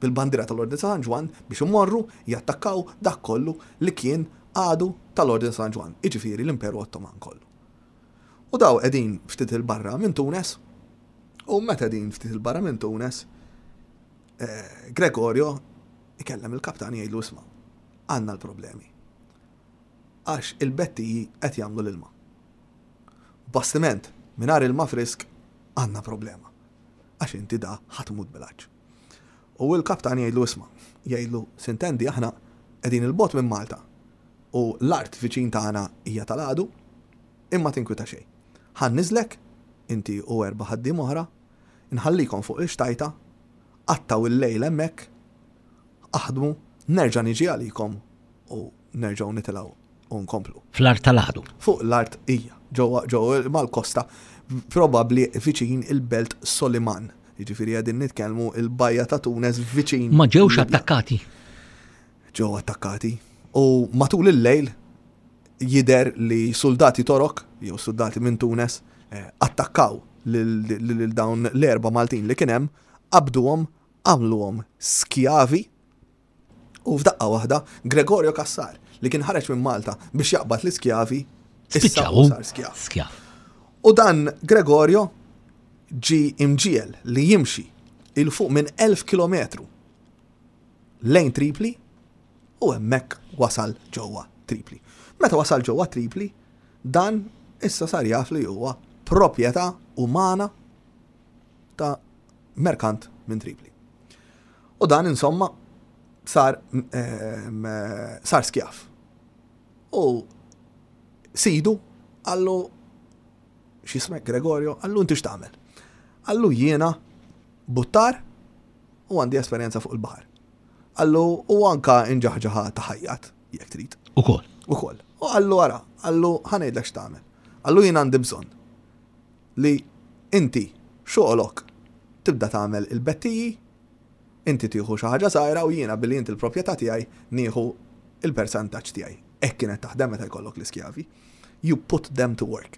bil-bandira tal-Ordni San Ġwann biex imorru jattakkaw dak kollu li kien għadu tal-Ordni San Ġwann, iġifieri l-Imperu Ottoman kollu. U daw qegħdin ftit il-barra minn Tunes, u meta qegħdin ftit il-barra minn Tunes, eh, Gregorio ikellem il-kaptan jgħidlu isma' għandna l-problemi. Għax il-bettiji qed jagħmlu l-ilma. Bastiment mingħajr ilma frisk għandna problema. Għax inti da ħa tmut bil-għatx. U l-kaptan jgħidlu isma' jgħidlu sintendi aħna qegħdin il-bogħod minn Malta u l-art viċin tagħna hija tal-għadu imma tinkwita xejn. Ħa nniżżlek inti u erba' ħaddiem oħra, nħallikom fuq il-xtajta, qattgħu il-lejl hemmhekk, aħdmu, nerġa' niġi għalikom u nerġgħu nitilgħu u nkomplu. Fl-art tal-għadu. Fuq l-art hija, ġewwa ġewwa mal-kosta, probabbli viċin il-belt Soliman. Jiġifieri qegħdin nitkellmu il-bajja ta' Tunes viċin. Ma ġewx Libja. attakkati. Ġew attakkati. U matul il-lejl jider li soldati Torok, jew soldati minn Tunes, eh, attakkaw lil lil dawn l-erba Maltin li kien hemm, qabduhom, għamluhom skjavi u f'daqqa waħda Gregorio Cassar li kien ħareġ minn Malta biex jaqbad l-iskjavi, issa Spiċċaw. sar skjav. Skjav. U dan Gregorio ġi imġiel li jimxi 'il fuq minn elf kilometru lejn Tripli u hemmhekk wasal ġewwa Tripli. Meta wasal ġewwa Tripli, dan issa sar jaf li huwa proprjetà umana ta' merkant minn Tripli. U dan insomma sar ehm, sar skjaf. U sidu qallu x'jismek Gregorio, qallu inti x'tagħmel? Qallu jiena buttar u għandi esperjenza fuq il-baħar. Qallu u anka inġaħġaħa ta' ħajjat, jekk trid. Ukoll. Ukoll. U qallu ara, qallu ħa ngħidlek x'tagħmel. Qallu jien għandi bżonn li inti xogħolok tibda tagħmel il-bettiji, inti tieħu xi ħaġa żgħira u jiena billi inti l-proprjetà tiegħi nieħu il-persentaġġ tiegħi. Hekk kienet taħdem meta jkollok l-iskjavi. You put them to work.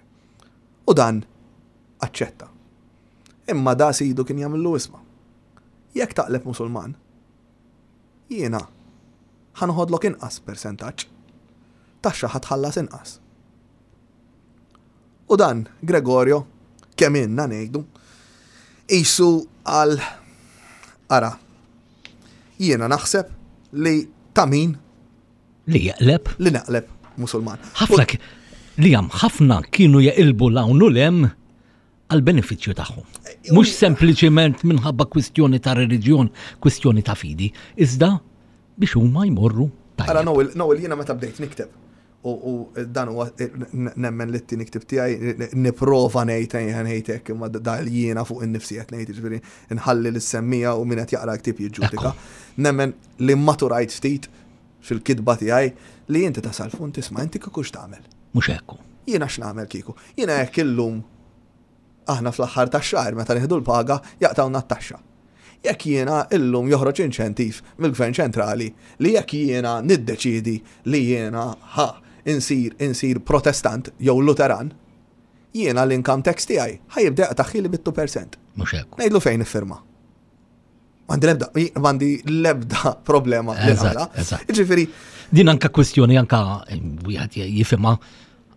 U dan aċċetta. Imma da sidu kien jagħmillu isma'. Jekk taqleb Musulman, jiena ħa noħodlok inqas persentaġġ. Taxxa ħa tħallas inqas. U dan Gregorio, kemm inna ngħidu, isu għal ara, jiena naħseb li ta' min Li jeqleb. li naqleb Musulman. ħafna ki- li jam ħafna kienu jeqilbu l-hawn u lem għal benefiċċju tagħhom. Mhux sempliċiment minħabba kwistjoni ta' reliġjon, kwistjoni ta' fidi, iżda biex huma jmorru Ara tajjeb. Noel, Noel jiena meta bdejt nikteb u, u dan huwa n- nemmen li t-tieni ktieb tiegħi nipprova ngħid ejja ngħid hekk imma da jiena fuq innifsi qed ngħid jiġifieri nħalli lis-semmija u min qed jaqra ktieb jiġġudika. Nemmen li maturajt ftit fil-kitba tiegħi li inti tasal fun tisma' inti kieku x'tagħmel. Mhux hekk. Jiena x'nagħmel kieku? Jiena jekk illum aħna fl-aħħar tax-xahar meta nieħdu l-paga jaqtawna t-taxxa. Jekk jiena illum joħroġ inċentiv mill-Gvern ċentrali li jekk jiena niddeċidi li jiena ħa insir insir protestant jew luteran, jiena l-income tax tiegħi ħa jibda jaqtagħhieli bit-two percent. Mhux hekk. Ngħidlu fejn iffirma. M'għandi l-ebda, m'għandi l-ebda problema li Eżatt, nagħmilha. eżatt. Jiġifieri, Din anka kwistjoni anka eh, wieħed jifhimha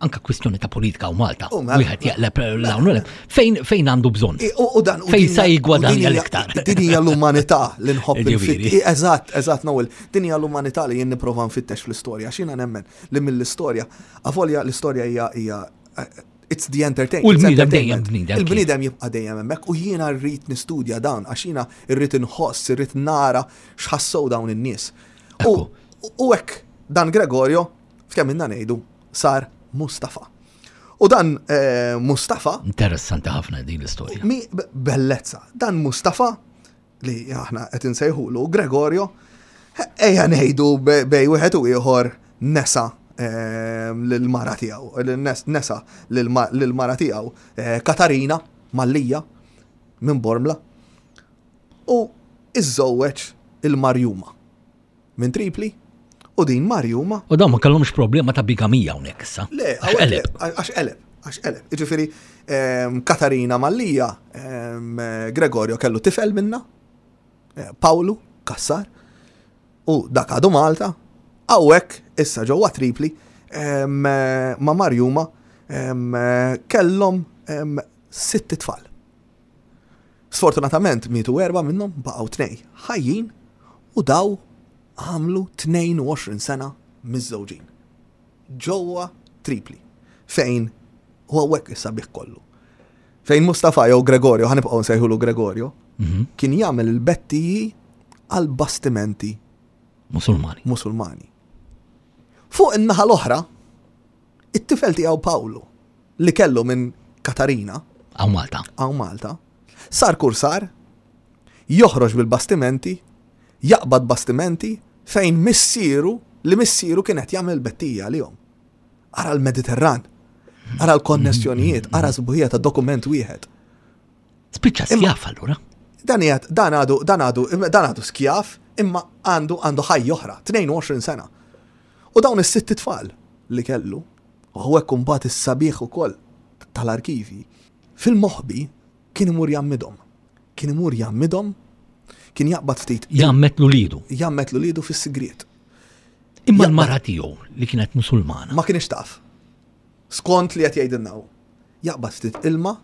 Anka kwistjoni ta' politika u Malta. U mela. Wieħed jaqleb l-hawn u l Fejn fejn għandu bżonn? I- U, u dan, u Fejn din sa hija- jigwadanja u din hija- l-iktar. Din hija l-umanità li nħobb Ġifieri. il-fit. Eżatt, eżatt, Noel. Din hija l-umanità li jien nipprova nfittex fl-istorja. X'jiena nemmen li mill-istorja, avolja l-istorja hija hija eh, it's the entertainment. U l-bniedem dejjem bniedem. Il-bniedem jibqa' dejjem hemmhekk u jiena rrid nistudja dan għax jiena rrid inħoss, irrid nara x'ħassew dawn in-nies. U Ekku. u hekk dan Gregorio, f'kemm inna ngħidu, sar Mustafa. U dan eh, Mustafa Interessanti ħafna din l-istorja. Mi b- bellezza. Dan Mustafa li aħna qed insejħulu Gregorio, ejja ngħidu be- bej wieħed u ieħor nesa ehm, lill-mara tiegħu, nes- nesa lil-ma- lill-mara tiegħu eh, Katarina Mallija minn Bormla u iżżewweġ il-Marjuma minn Tripli u din Marjuma U dawn ma kellhomx problema ta' bigamija hawnhekk issa. Le, Għax qeleb. Għax qeleb, għax qeleb. Ġifieri, ehm, Katarina Mallija, ehm, Gregorio kellu tifel minna, eh, Paolo Cassar, u dak għadu Malta, hawnhekk issa ġewwa Tripli, ehm, eh, ma' Marjuma, ehm, eh, kellhom ehm, sitt tfal. Sfortunatament mietu erba minnhom baqgħu tnej ħajjin u daw għamlu tnejn u għoxrin sena miżżewġin ġewwa Tripli, fejn u hawnhekk is-sabiħ kollu. Fejn Mustafa jew Gregorio, ħa nibqgħu nsejħulu Gregorio, Mhm. kien jagħmel il-bettiji għal bastimenti Musulmani. Musulmani. Fuq in-naħa l-oħra, it-tifel tiegħu Pawlu li kellu minn Katarina Hawn Malta. hawn Malta, sar kursar, joħroġ bil-bastimenti, jaqbad bastimenti fejn missieru li missieru kienet jagħmel bettija għalihom. Ara l-Mediterran, ara l-konnessjonijiet, ara sbuħija ta' dokument wieħed. Spiċċa skjaf allura. Dan jgħid, dan għadu, dan għadu, dan għadu skjaf, imma għandu għandu ħajja oħra, tnejn u għoxrin sena. U dawn is-sitt tfal li kellu, u hawnhekk imbagħad is-sabiħ ukoll tal-arkivi, fil-moħbi kien imur jgħammidhom. Kien imur jgħammidhom, kien jaqbad ftit Jgħammed l-ulidu. jgħammed l-ulidu fis-sigriet. Imma Jaqbad- l-mara tiegħu li kienet Musulmana. Ma kienx taf. Skont li qed jgħidilna hu. Jaqbad ftit ilma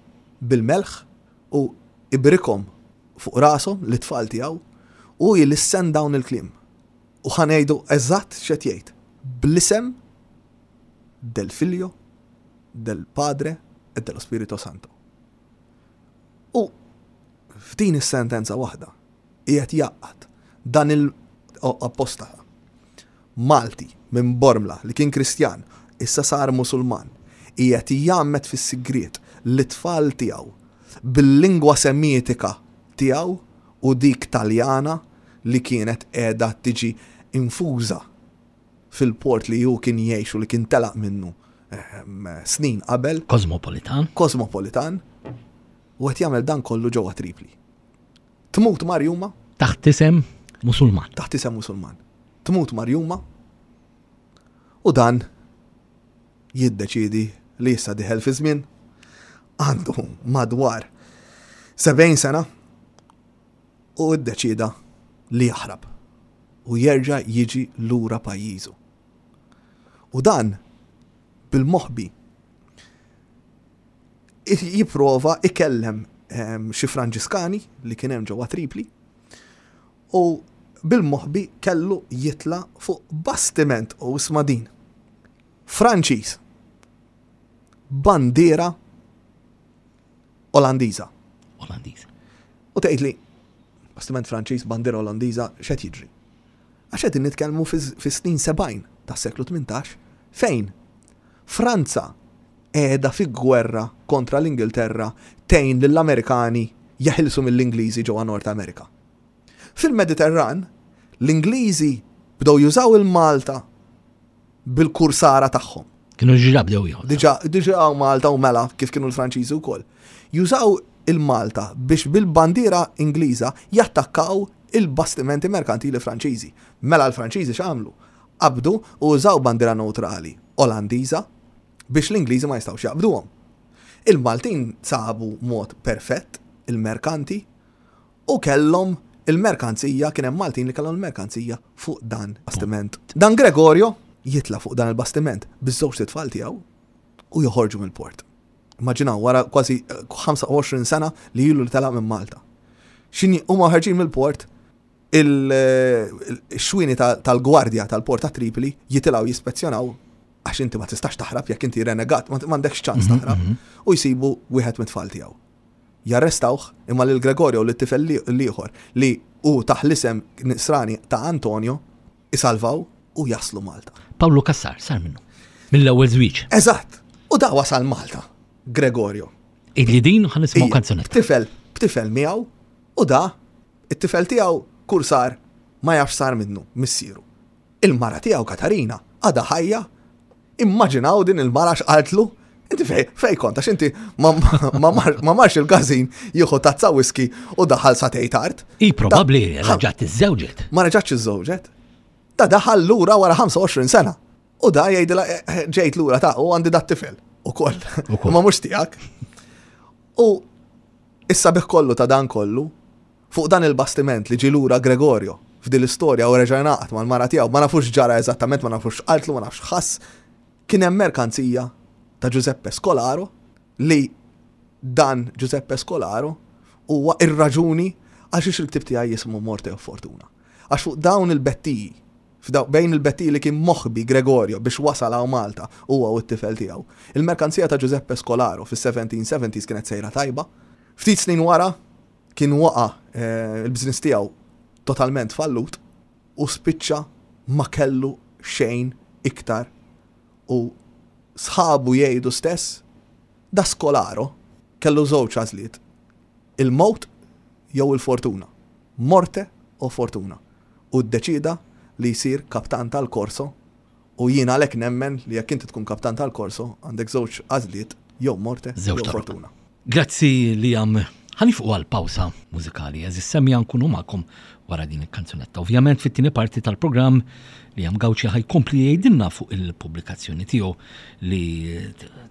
bil-melħ u ibrikhom fuq rashom l-tfal tiegħu u jlissen dawn il-kliem. U ħa ngħidu eżatt x'qed jgħid. Bl-isem del Figlio, del Padre e dello Spirito Santo. U f'din is-sentenza waħda qiegħed jaqgħad dan il-apostata Malti minn Bormla li kien Kristjan, issa sar Musulman, qiegħed jgħammed fis-sigriet l-tfal tiegħu bil-lingwa semitika tiegħu u dik Taljana li kienet qiegħda tiġi infuża fil-port li hu kien jgħix u li kien telaq minnu ehm, snin qabel, Kosmopolitan. kosmopolitan, u qed jagħmel dan kollu ġewwa Tripli. Tmut Marjuma Taħt isem Musulman. Taħt isem Musulman. Tmut Marjuma u dan jiddeċidi li issa diħel fi żmien għandu madwar sebgħin sena u ddeċida li jaħrab u jerġa' jiġi lura pajjiżu. U dan bil-moħbi jipprova ikellem ehm, xi Franġiskani li kien hemm ġewwa Tripli u bil-moħbi kellu jitla fuq bastiment u isma' din. Franċiż. Bandiera Olandiża. Olandiż. U tgħid li bastiment Franċiż, bandiera Olandiża, x'qed jiġri? Għax qed nitkellmu fis-snin sebgħin tas-seklu tmintax fejn Franza qiegħda fi gwerra kontra l-Ingilterra tgħin lill-Amerikani jeħilsu mill-Ingliżi ġewwa Nord Amerika. Fil-Mediterran, l-Ingliżi bdew jużaw il-Malta bil-kursara tagħhom. Kienu ġiġa bdew jieħu. Diġa, diġa hawn Malta u mela kif kienu l-Franċiżi wkoll. Jużaw il-Malta biex bil-bandiera Ingliża jattakkaw il-bastimenti merkantili Franċiżi. Mela l-Franċiżi x'għamlu? Qabdu u użaw bandiera neutrali Olandiża biex l-Ingliżi ma jistgħux jaqbduhom. Il-Maltin sabu mod perfett il-merkanti u kellhom il-merkanzija, kien hemm Maltin li kellhom il-merkanzija fuq dan bastiment. Dan Gregorio jitla fuq dan il-bastiment biż-żewġ tfal tiegħu. U joħorġu mill-port. Immaġinaw, wara kważi ħamsa u għoxrin sena li ilu li telaq minn Malta. X'ħin huma ħarġin mill-port, il-xwini tal-gwardja tal-port ta' Tripoli jitilgħu jispezzjonaw, għax inti ma tistax taħrab jekk inti renegat, ma m'għandekx ċans mhm, taħrab, mhm. u jsibu wieħed mit-tfal tiegħu. Jarrestawh, imma lil Gregorio u lit-tifel l-ieħor li hu taħ l-isem nisrani ta' Antonio isalvaw u jaslu Malta. Pawlu Cassar sar minnu. Mill-ewwel żwieġ. Eżatt. U da wasal Malta, Gregorio. Illi din ħa nisimgħu kanzunetta. Tifel, b'tifel miegħu, u da it-tifel tiegħu kursar ma jafx sar minnu missieru. Il-mara tiegħu Katarina għadha ħajja. Immaġinaw din il-mara x'qaltlu: "Inti fej, fej kont, għax inti ma, ma, ma marx il-każin jieħu tazza whisky u daħal sagħtejn tard." I probabbli reġgħet iżżewġet. Ma reġgħetx iżżewġet. Da daħal lura wara ħamsa u għoxrin sena. U da jgħidilha: eh, eh, "Ġejt lura ta' u għandi dat tifel ukoll." Ukoll. Ma mhux tiegħek. U issa bih kollu ta' dan kollu, fuq dan il-bastiment li ġie lura Gregorio f'din l-istorja u reġa' ngħaqad mal-mara tiegħu, ma nafux ġara eżattament, ma nafux qaltlu, ma nafx ħass, kien hemm merkanzija ta' Giuseppe Scolaro, li dan Giuseppe Scolaro huwa ir-raġuni għax il-ktib tiegħi jismu Morte u Fortuna. Għax fuq dawn il-bettiji, f'daw- bejn il-bettiji li kien moħbi Gregorio biex wasal hawn Malta huwa u t-tifel tiegħu. Il-merkanzija ta' Giuseppe Scolaro fis-seventeen seventies kienet sejra tajba. Ftit snin wara kien waqa eh, il-biznis tiegħu totalment fallut u spiċċa ma kellu xejn iktar, u sħabu jgħidu stess da Scolaro kellu żewġ għażliet: il-mowt jew il-fortuna. Morte o fortuna. U ddeċida li jsir kaptan tal-Korso, u jiena għalhekk nemmen li jekk inti tkun kaptan tal-Korso għandek żewġ għażliet, jew morte Żewġ jew toroq. fortuna. Grazzi li għam ħa nieqfu għal pawsa mużikali, għeżież semmiegħa, nkunu magħkom wara din il-kanzunetta. Ovvjament fit-tieni parti tal-programm li għam Gauci ħa jkompli jgħidilna fuq il-pubblikazzjoni tiegħu li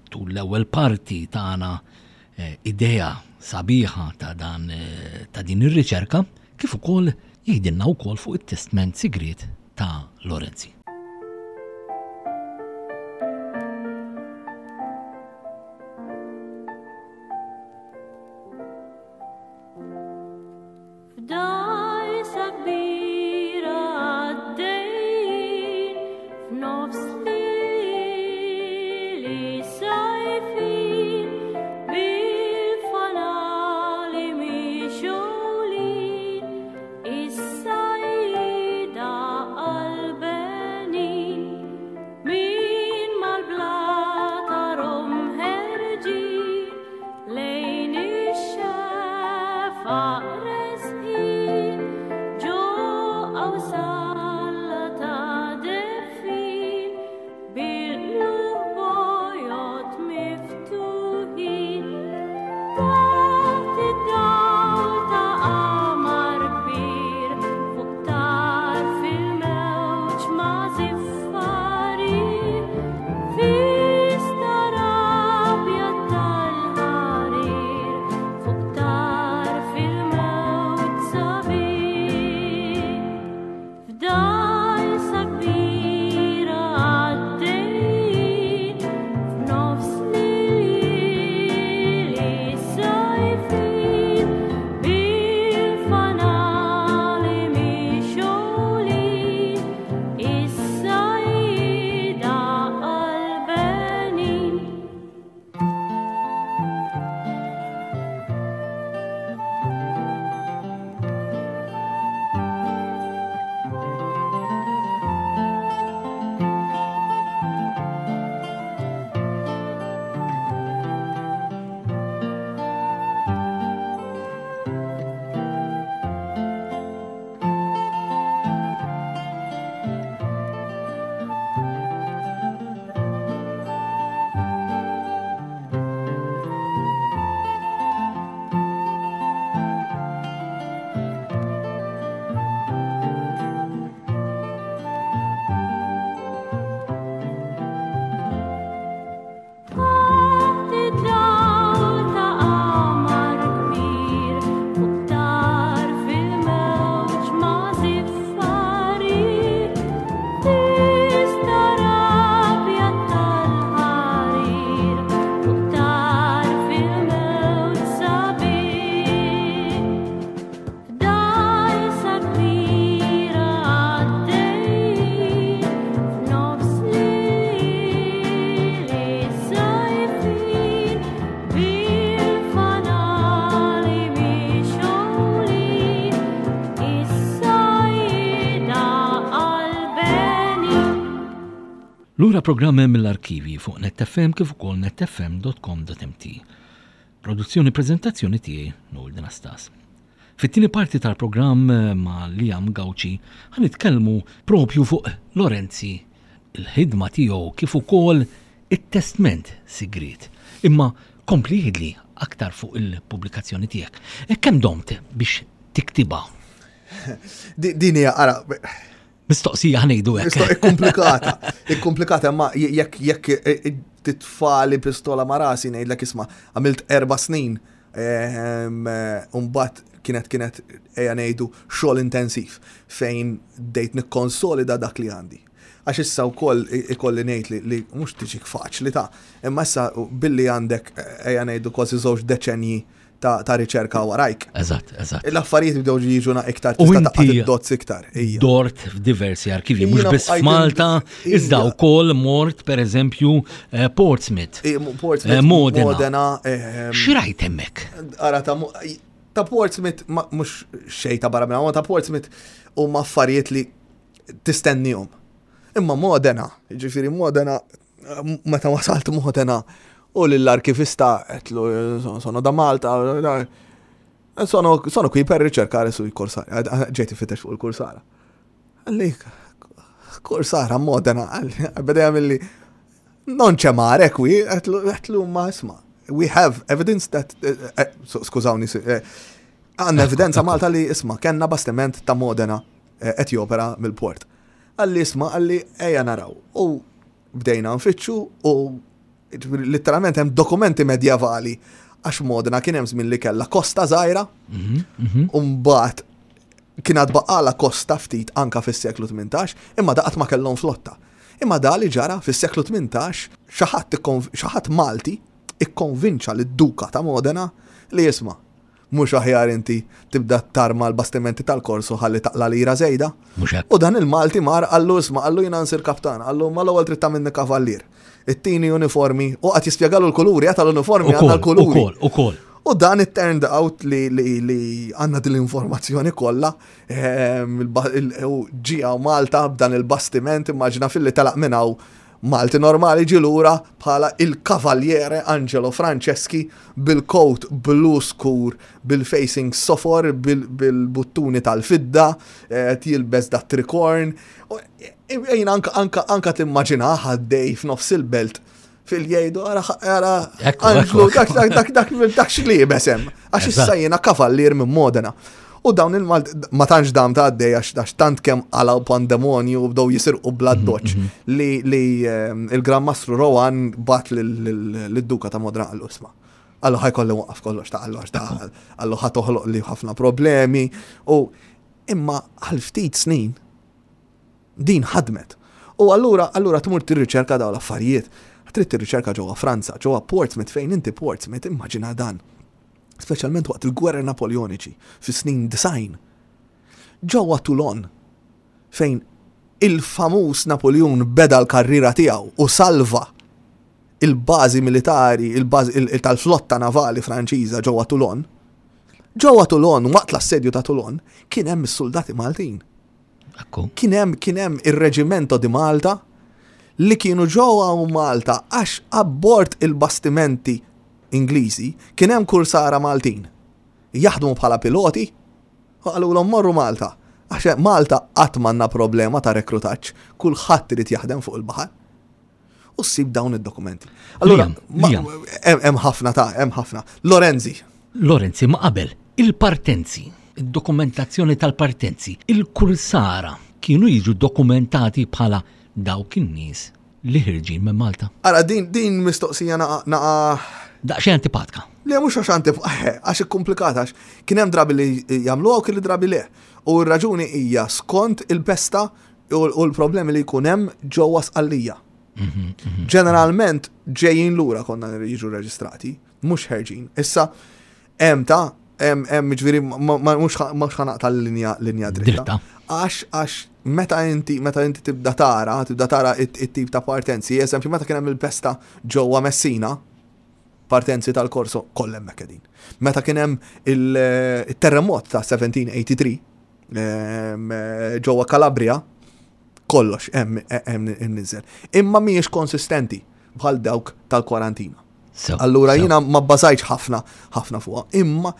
tul l-ewwel parti tagħna eh, idea sabiħa ta' dan eh, ta' din ir-riċerka, kif ukoll jgħidilna wkoll fuq it-testment sigriet ta' Lorenzi. F'dgħajsa kbira għaddejjin f'nofs lili sajfin bil-fanali mixgħulin is-sajjieda qalbenin. Allura programm mill-arkivi fuq Net F M kif ukoll netfm punt com punt M T. Produzzjoni, prezentazzjoni tiegħi, Noel Anastas. Fit-tieni parti tal-programm ma' Liam Gauci ħa nitkellmu propju fuq Lorenzi, il-ħidma tiegħu kif ukoll it-testment sigriet. Imma kompli għidli aktar fuq il-pubblikazzjoni tiegħek. E kemm domt biex tiktibha? Din hija, ara, Mistoqsija, ħa ngħidu hekk. Ikkomplikata, ikkomplikata, ma jekk jekk eh, eh, titfagħli pistola ma' rasi ngħidlek, isma', għamilt erba' snin, ehm, eh, Umbagħad kienet kienet ejja ngħidu xogħol intensiv fejn bdejt nikkonsolida dak li għandi. Għax issa wkoll ikolli ngħid li, li mhux tiġik faċli ta', imma issa billi għandek, ejja ngħidu, kważi żewġ deċenji ta', ta' riċerka warajk. Eżatt, eżatt. L-affarijiet bdew jiġuna iktar, U tista' inti taqgħad id-dots iktar. Ija. Dort f'diversi arkivi, mhux Jiena biss bqajt f'Malta, in- iżda ija. wkoll mort, pereżempju, eh, Portsmouth, I- Portsmouth, eh, Modena. Modena, ehm, X'rajt hemmhekk? Ara, ta' mu- ta' Portsmouth, ma- mhux xejn ta' barra minn, ta' Portsmouth huma affarijiet li tistennihom. Imma Modena, ġifieri Modena, meta wasalt Modena u l-arkivista għedtlu, "Sono da Malta, sono, sono qui per ricercare sui corsari", ġejt infittex fuq il-kursara. Qalli, "Kursara Modena?" Qalli, beda jagħmilli, "Non c'è mare qui." Għedtlu, għedtlu, "Ma isma', we have evidence that", eh, eh, skużawni, eh, għandna evidenza Malta li, isma', kellna bastiment ta' Modena qed jopera mill-port. Qalli, "Isma'," qalli, "ejja naraw." U bdejna nfittxu u literalment hemm dokumenti medjevali għax Modena kien hemm żmien li kellha kosta żgħira, u mbagħad kien għad baqala kosta ftit anka fis-seklu tmintax, imma daqat ma kellhom flotta. Imma da li ġara fis-seklu tmintax, xi ħadd xi ħadd Malti ikkonvinċa lid-duka ta' Modena li, "Isma', mhux aħjar inti tibda tarma l-bastimenti tal-korsu ħalli taqla lira żejda?" Mhux hekk. U dan il-Malti mar qallu, "Isma'," qallu, "jiena nsir kaptan." Qallu, "Ma l-ewwel trid tagħmilni kavallier. Ittini uniformi," u qed jispjegalu l-kuluri, għata l-uniformi għandna l-kuluri. Ukoll, ukoll. U dan it turned out li li li għandna din l-informazzjoni kollha, ehm, u ġie Malta b'dan il-bastiment, immaġina filli telaq minn hawn Malti normali, ġie lura bħala il-Cavaliere Angelo Franceschi bil-coat blu skur, bil-facing sofor, bil-buttuni tal-fidda, eh, jilbes da tricorn. Ejn anka, anka, anka timmaġina għaddej f'nofs il-belt fil-jgħidu, "Ara, ara, Angelo, dak, dak, dak, dak, dak x'liebes hemm." Għax issa jiena kavallier minn Modena. U dawn il-Malt, ma tantx dam ta' għaddej għax tant kemm għalaw pandemonju u bdew jisirqu bla mhm, doċ mhm. li li ehm, il-Gran Mastru Rohan bagħat lid-Duka ta' Modena, qallu, "Isma'," qallu, "ħa jkolli nwaqqaf kollox ta'," qallu, "għax ta'," qallu, "ħa toħloq li ħafna problemi." U imma għal ftit snin din ħadmet. U allura allura tmur tirriċerka dawn l-affarijiet. Trid tirriċerka ġewwa Franza, ġewwa Portsmouth, fejn inti Portsmouth, immaġina dan, speċjalment waqt il-gwerra Napoleoniċi fis-snin disgħin. Ġewwa Toulon, fejn il-famuż Napoleon beda l-karriera tiegħu u salva il-bażi militari, il-bażi tal-flotta navali Franċiża ġewwa Toulon. Ġewwa Toulon, waqt l-assedju ta' Toulon, kien hemm is-soldati Maltin. Kien hemm kien hemm ir-Reġimento di Malta li kienu ġewwa Malta għax abbord il-bastimenti Ingliżi kien hemm kursara Maltin jaħdmu bħala piloti u qalulhom, "Morru Malta. Għax Malta qatt m'għandna problema ta' rekrutaġġ, kulħadd irid jaħdem fuq il-baħar." U ssib dawn id-dokumenti. Allura, hemm ħafna ta' hemm ħafna. Lorenzi. Lorenzi, ma qabel, il-partenzi, id-dokumentazzjoni tal-partenzi, il-kursara kienu jiġu dokumentati bħala dawk in-nies li ħirġin minn Malta? Ara, din, din mistoqsija naqa, naqa Daqsxejn antipatka. Le, mhux għax antipatka, għax ikkomplikata, għax kien hemm drabi li jagħmluha u kien drabi le. U r-raġuni hija skont il-pesta u l-problemi li jkun hemm ġewwa Sqallija. Mhm, mhm. Ġeneralment ġejjin lura konna jiġu reġistrati, mhux ħerġin. Issa hemm ta' hemm hemm ġifieri mhux ħa naqta' l-linja linja dritta. Għax għax meta inti meta inti tibda tara, tibda tara it-tip ta' partenzi, eżempju, meta kien hemm il-pesta ġewwa Messina, partenzi tal-korso kollha hemmhekk qegħdin. Meta kien hemm il-terremot ta' seventeen eighty-three ġewwa Calabria, Kollox hemm hemm imniżżel. Imma mhijiex konsistenti bħal dawk tal-kwarantina. So, Allura so. jiena ma bbażajtx ħafna ħafna fuqha. Imma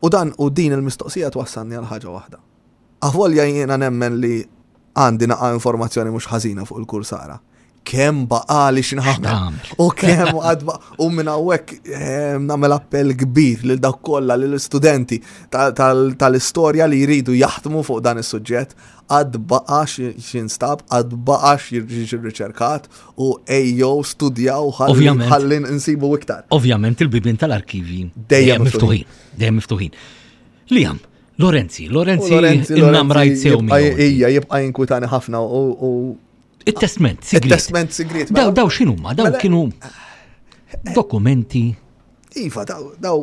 u dan u din il-mistoqsija twassalni għal ħaġa waħda. Avolja jiena nemmen li għandi naqa informazzjoni mhux ħażina fuq il-kursara. Kemm baqali x'nagħmel. X'tagħmel? U kemm għad ba- u minn hawnhekk eh, nagħmel appell kbir lil dawk kollha lil studenti tal-istorja li jridu jaħdmu fuq dan is-suġġett għad baqa x'instab, għad baqa x'jiġi riċerkat u ejjew studjaw ħalli Ovvjament. ħalli nsibu iktar. Ovvjament il-bibien tal-arkivi Dejjem miftuħin. Dejjem miftuħin. Liam, Lorenzi, Lorenzi, U Lorenzi, in-namrajt sew jibqa' miegħu. Ija, jibqa' jinkwitani ħafna u u Il-testament, sigriet. il-testament sigriet. Daw, mela- daw x'inhuma? Daw mela- kienu dokumenti. Iva, daw, daw,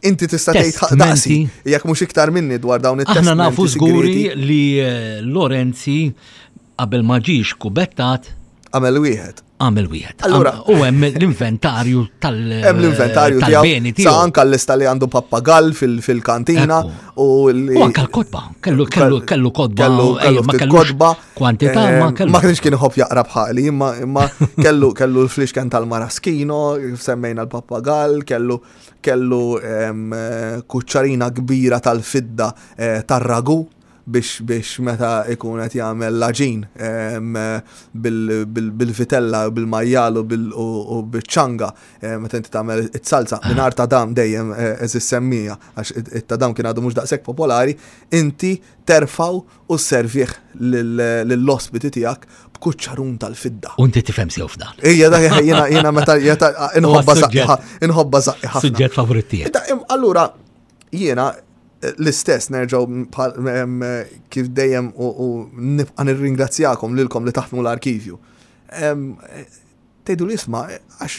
inti tista' tgħid Testmenti. daqsi, jekk mhux iktar minni dwar dawn Aħna it-testmenti nafu żguri sigreti, li eh, Lorenzi qabel ma ġiex kubettat għamel wieħed. għamel wieħed. Allura- Am- U hemm l-inventarju tal- Hemm l-inventarju tal-beni tiegħu, sa tiegħu. anka l-lista li għandu pappagall fil- fil-kantina Ekku. u li U anka l-kotba, kellu kellu kellu kotba, kellu ejja, kellu ma ftit kellux kotba. kwantità, eh, ma kellu. Ma kienx kien iħobb jaqra bħali, imma imma kellu kellu l-flixken tal-maraskino, semmejna l-pappagall, kellu kellu em, eh, kuċċarina kbira tal-fidda eh, tar-ragu biex biex meta ikun qed jagħmel l-għaġin em, eh, bil- bil- bil-vitella, bil-majjal u bil- u u bil-ċanga eh, meta inti tagħmel it-salsa mingħajr tadam dejjem eh, eżis semmija għax it- it-tadam kien għadu mhux daqshekk popolari, inti terfaw u servih lill-ospiti tiegħek b'kuċċarun tal-fidda. U inti tifhem sew f'dan. Ija da jiena jiena meta jeta inħobba Huwa suġġett. zaqqi inħobba zaqqi ħafna. Suġġett favorit tiegħek. Da, im- Allura jiena eh, l-istess nerġgħu bħal- em, eh, kif dejjem u u nibqa' nirringrazzjakom lilkom li taħdmu l-arkivju. Em, eh, Tgħidu li isma' eh, għax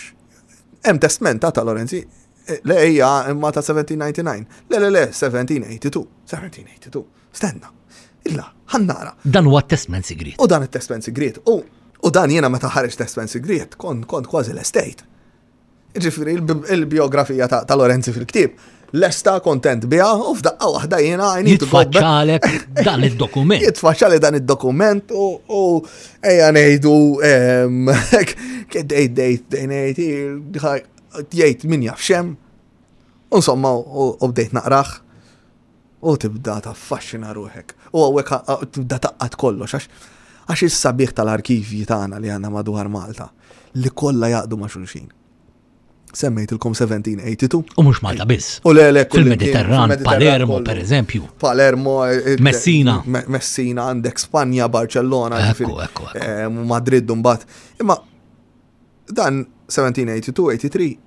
hemm testment ta' Lorenzi eh, le hija imma ta' seventeen ninety-nine. Le le le seventeen eighty-two. seventeen eighty-two. Stenna. Illa, ħa nara. Dan huwa testament sigriet. U dan it-testament sigriet. U u dan jiena meta ħareġ testament sigriet, kont kont kważi l-estate. Ġifieri il-biografija ta', ta' Lorenzi fil-ktieb. Lesta kontent biha u f'daqqa waħda jiena I need to go back. Jitfaċċalek dan id-dokument. Jitfaċċali dan id-dokument u u ejja ngħidu em, dejt dejt dejt jgħid min jaf xem. Insomma, u u bdejt naqrah u tibda taffaxxina ruħek. U hawnhekk tibda taqqat kollox għax għax is-sabiħ tal-arkivji tagħna li għandna madwar Malta li kollha jaqdu ma' xulxin. Semmejtilkom seventeen eighty-two. U mhux Malta biss. U le le kull Fil-Mediterran, fil-Mediterran Palermo, kollu. per eżempju. Palermo, eh, eh, Messina. Me- Messina, għandek Spanja, Barcellona, Ekku, ġifieri, ekku, ekku. eh, Madrid mbagħad. Imma dan seventeen eighty-two eighty-three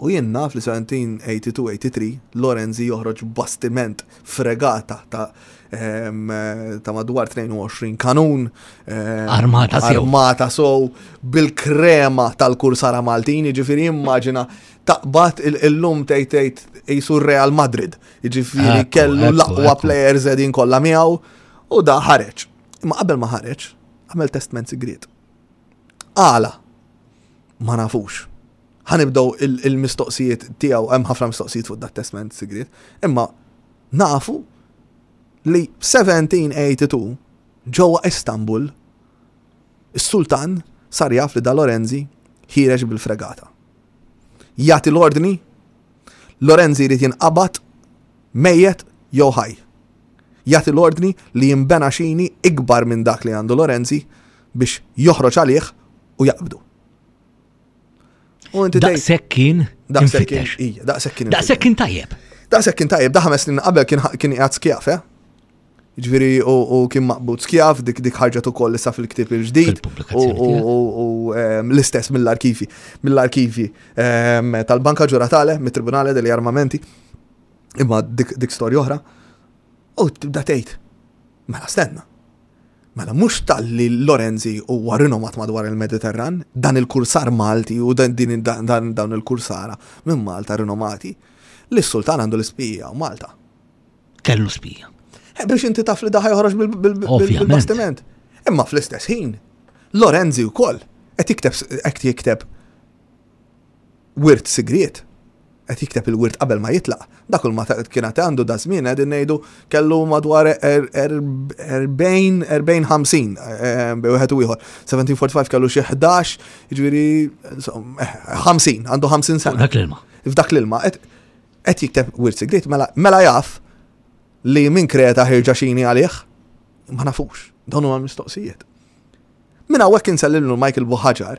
u jien naf li seventeen eighty-two eighty-three Lorenzi joħroġ bastiment fregata ta' em, eh, ta' madwar tnejn u għoxrin kanun. em, Armata sew. Armata sew bil-krema tal-kursara Maltin, ġifieri immaġina taqbad il-lum tgħid tgħid jisu Real Madrid, ġifieri Ekku, kellu ekku, l-aqwa ekku. players edin kollha miegħu u da ħareġ. Imma qabel ma ħareġ, għamel testament sigriet. Għala, ma nafux. Ħa nibdew il- il-mistoqsijiet tiegħu, hemm ħafna mistoqsijiet fuq dat testament sigriet, imma nafu li seventeen eighty-two ġewwa Istanbul is-sultan sar jaf li da Lorenzi ħiereġ bil-fregata. Jagħti l-ordni, Lorenzi jrid jinqabad mejjet jew ħaj. Jagħti l-ordni li jinbena xini ikbar minn dak li għandu Lorenzi biex joħroġ għalih u jaqbdu. U inti tgħid Daqshekk kien daqshekk kien infittex. ija, daqshekk kien Daqshekk kien tajjeb. Daqshekk kien tajjeb, da ħames snin qabel kien kien qiegħed skjaf, eh? Ġifieri u u kien maqbud skjaf, dik dik ħarġet ukoll issa fil-ktieb il-ġdid. Fil-pubblikazzjoni U- U u, em, l-istess mill-arkivi, mill-arkivi em, tal-Banka Ġuratale, mit-Tribunale degli Armamenti. Imma dik, dik storja oħra. U tibda tgħid, mela stenna. Mela mhux talli Lorenzi huwa rinomat madwar il-Mediterran, dan il-kursar Malti u dan din dan dan dawn il-kursara minn Malta rinomati, li s-sultan għandu l-ispija u Malta. Kellu spija. Eh, biex inti taf li daħ joħroġ bil- bil- bil- Ovvjament. bil-bastiment. Imma fl-istess ħin, Lorenzi wkoll qed jikteb qed jikteb wirt sigriet. Qed jikteb il-wirt qabel ma jitlaq. Dak ma kien għandu da żmien, qegħdin ngħidu kellu madwar erbgħin, erbgħin, ħamsin bejn wieħed u ieħor. elf seba' mija u erbgħa u ħamsin kellu xi ħdax, jiġifieri ħamsin, għandu ħamsin sena. Dak l-ilma. F'dak l-ilma qed jikteb wirt sigriet, mela, mela jaf li minn Kreta ħirġa xini għalih, ma nafux, dawn huma mistoqsijiet. Minn hawnhekk insellimlu Michael Buhagiar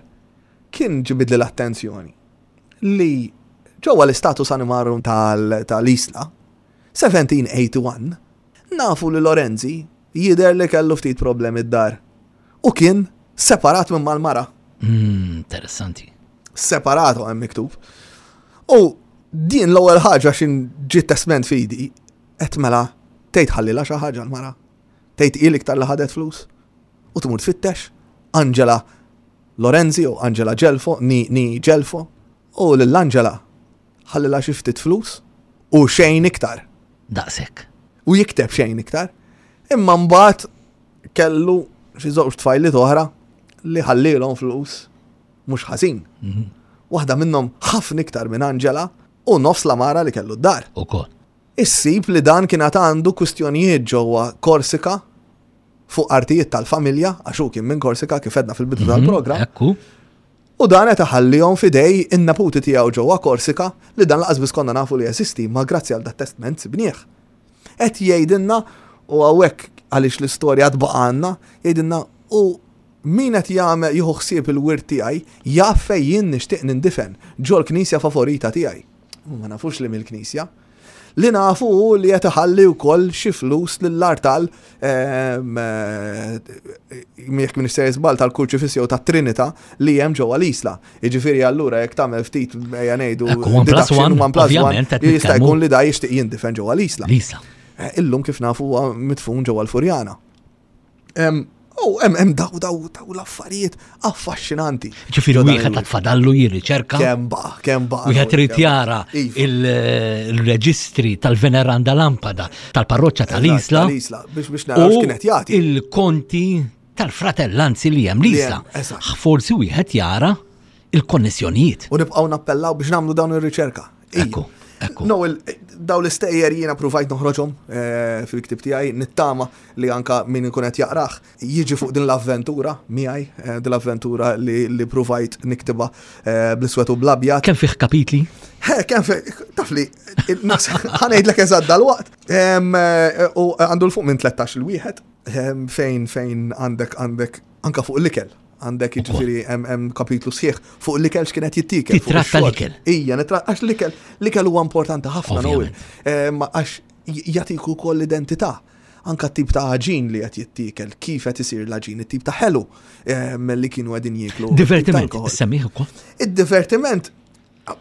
kien ġibidli l-attenzjoni li ġewwa l-Status Animarum tal-Isla, elf seba' mija u wieħed u tmenin, nafu li Lorenzi jider li kellu ftit problemi d-dar u kien separat minn mal-mara. Mm, interessanti. Separato hemm miktub. U din l-ewwel ħaġa xin ġiet testment fidi, qed mela tgħid ħallila xi ħaġa l-mara. Tgħid il iktar li ħadet flus. U tmur tfittex Angela Lorenzi u Angela Gelfo, ni, ni Gelfo, u lill-Angela ħallila xi ftit flus u xejn iktar. Daqshekk. U jikteb xejn iktar. Imma mbagħad kellu xi żewġ tfajliet oħra li ħallilhom flus mhux ħażin. Mhm. Waħda minnhom ħafna iktar minn Angela u nofs la mara li kellu d-dar. Ukoll. Issib li dan kien għad għandu kwistjonijiet ġewwa Korsika fuq artijiet tal-familja, għax hu kien minn Korsika kif għedna fil-bidu Mhm, tal-programm. Ekku. U dan qed iħallihom fidej in-neputi tiegħu ġewwa Korsika li dan laqas biss konna nafu li jeżisti, ma grazzi għal dat testament sibnieh. Qed jgħidilna, u hawnhekk għaliex l-istorja tbaqa' għandna, jgħidilna u min qed jagħmel jieħu ħsieb il-wirt tiegħi jaf fejn jien nixtieq nindifen ġol-knisja favorita tiegħi. U ma nafux li mill-knisja. Li nafu hu li qed iħalli wkoll xi flus lill-artal, ehm, eh, jekk minn sejjer żball, tal-Kurċifiss jew tat-Trinità li hemm ġewwa l-Isla. Jiġifieri allura jekk tagħmel ftit, ejja ngħidu, Ekku, one plus deduction, one, one plus one, ovvjament, qed jista' nitkellmu. jkun li da jixtieq jindifen ġewwa l-Isla. L-Isla. Eh, Illum kif nafu huwa mitfun ġewwa l-Furjana. Em, U hemm hemm daw daw daw l-affarijiet affaxxinanti. Ġifieri Ġo dan wieħed il-wirt. tfadallu jirriċerka. Kemm ba, kemm ba. Wieħed irid jara Iva. il- il-reġistri tal-Veneranda Lampada tal-parroċċa tal-Isla Tal-Isla, biex biex naraw u x'kienet jagħti. il-konti tal-fratellanzi li hemm Li l-Isla. hemm, eżatt. Forsi wieħed jara il-konnessjonijiet. U nibqgħu nappellaw biex nagħmlu dawn ir-riċerka. Ija. Ekku, ekku. No, il- daw l-istejjer jiena provajt noħroġhom eh, fil-ktib tiegħi, nittama li anka min ikun qed jaqrah jiġi fuq din l-avventura miegħi, eh, din l-avventura li, li provajt niktiba eh, bl-iswed u bl-abjad. Kemm fih kapitli? He, kemm fi, taf li, ħa ngħidlek eżatt dal-waqt. Em, eh, U għandu l-fuq minn tlettax il-wieħed, em, fejn fejn għandek għandek anka fuq l-ikel. Għandek, jiġifieri, hemm hemm kapitlu sħiħ fuq l-ikel, x'kienet jittikel. Fuq Titratta ix-xorb. l-ikel. Ija, nitra, għax l-ikel, l-ikel huwa importanti ħafna, Noel. Ovvjament. Em, Għax jagħtik ukoll l-identità. Anka tip ta' għaġin li qed jittikel, kif qed isir l-għaġin, it-tip ta' ħelu em, li kienu qegħdin jieklu, it-tip ta' Divertiment, alkohol. semmih ukoll. Id-divertiment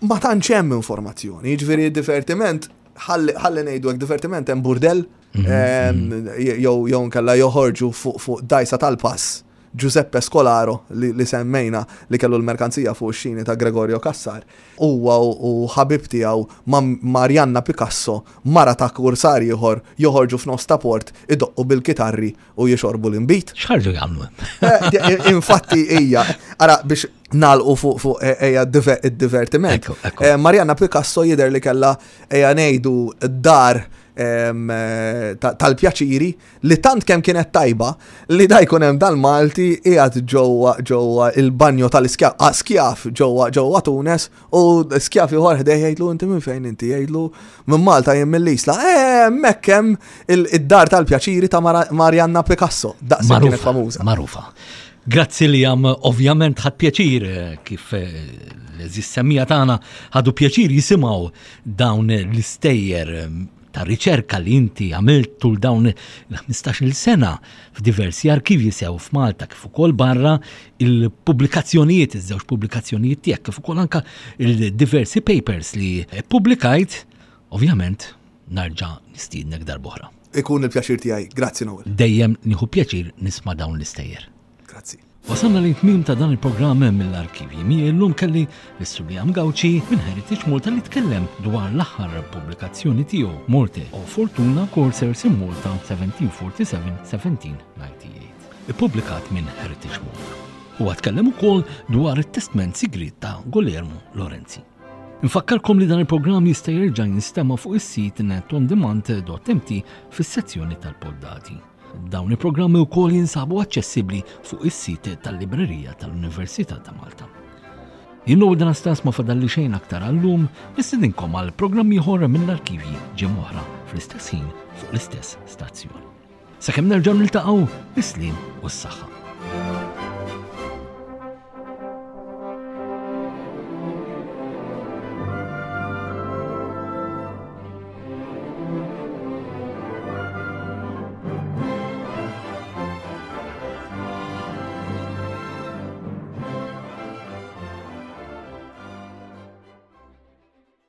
ma tantx hemm informazzjoni, jiġifieri id-divertiment, ħalli ħalli ngħidu hekk, divertiment hemm burdell em, jew jew nkella joħorġu fuq fuq dajsa tal-pass Giuseppe Scolaro li, li semmejna li kellu l-merkanzija fuq xini ta' Gregorio Cassar. Huwa u, u ħabib tiegħu ma' Marianna Picasso, mara ta' kursar ieħor, joħorġu f'nofs ta' port, idoqqu bil-kitarri u jixorbu l-inbid. X'ħarġu jagħmlu hemm? Eh, Infatti hija, ara biex nalqu fuq fuq eh, ejja diver- id-divertiment. Ekku, ekku. Eh, Marianna Picasso jidher li kella, ejja ngħidu, dar em, eh, ta- tal-pjaċiri li tant kemm kienet tajba li da jkun hemm dal-Malti qiegħed ġewwa ġewwa il-banjo tal-iskjaf ah, skjaf ġewwa ġewwa Tunes u skjaf ieħor ħdejh jgħidlu: "Inti minn fejn inti?" Jgħidlu: "Minn Malta, jien mill-Isla." Eh, hemmhekk hemm il- id-dar tal-pjaċiri ta' Mara- Marianna Picasso. Daqshekk kienet Marufa, famuża. marufa. Grazzi li għam, ovvjament ħadt pjaċir eh, kif eh, l-għeżież semmiegħa tagħna ħadu pjaċir jisimgħu dawn l-istejjer eh, ta' riċerka li inti għamilt tul dawn il-ħmistax-il sena f'diversi arkivji sew f'Malta kif ukoll barra, il-pubblikazzjonijiet, iż-żewġ pubblikazzjonijiet tiegħek, kif ukoll anka il-diversi papers li pubblikajt, ovvjament narġa' nistiednek darb'oħra. Ikun il-pjaċir tiegħi. Grazzi, Noel. Dejjem nieħu pjaċir nisma' dawn l-istejjer. Grazzi. Wasalna li tmim ta' dan il-programm mill-arkivji. Mi illum kelli l-Sur Liam Gauci minn Heritage Malta li tkellem dwar l-aħħar pubblikazzjoni tiegħu, Morte o Fortuna, Corsairs in Malta elf seba' mija u erbgħa u sebgħin-elf seba' mija u disgħa u tmenin, ippubblikat minn Heritage Malta. Huwa tkellem ukoll dwar it-testment sigriet ta' Guglielmo Lorenzi. Infakkarkom li dan il-programm jista' jerġa' jinstema' fuq is-sit netondemand dot M T fis-sezzjoni tal-poddati. Dawn il-programmi wkoll jinsabu aċċessibbli fuq is-sit tal-Librerija tal-Università ta' Malta. Jien u dan stas ma fadalli xejn aktar għallum, nistedinkom għal programm ieħor mill-arkivji ġimgħa oħra fl-istess ħin fuq l-istess stazzjon. Sakemm nerġgħu niltaqgħu, is-sliem u s-saħħa.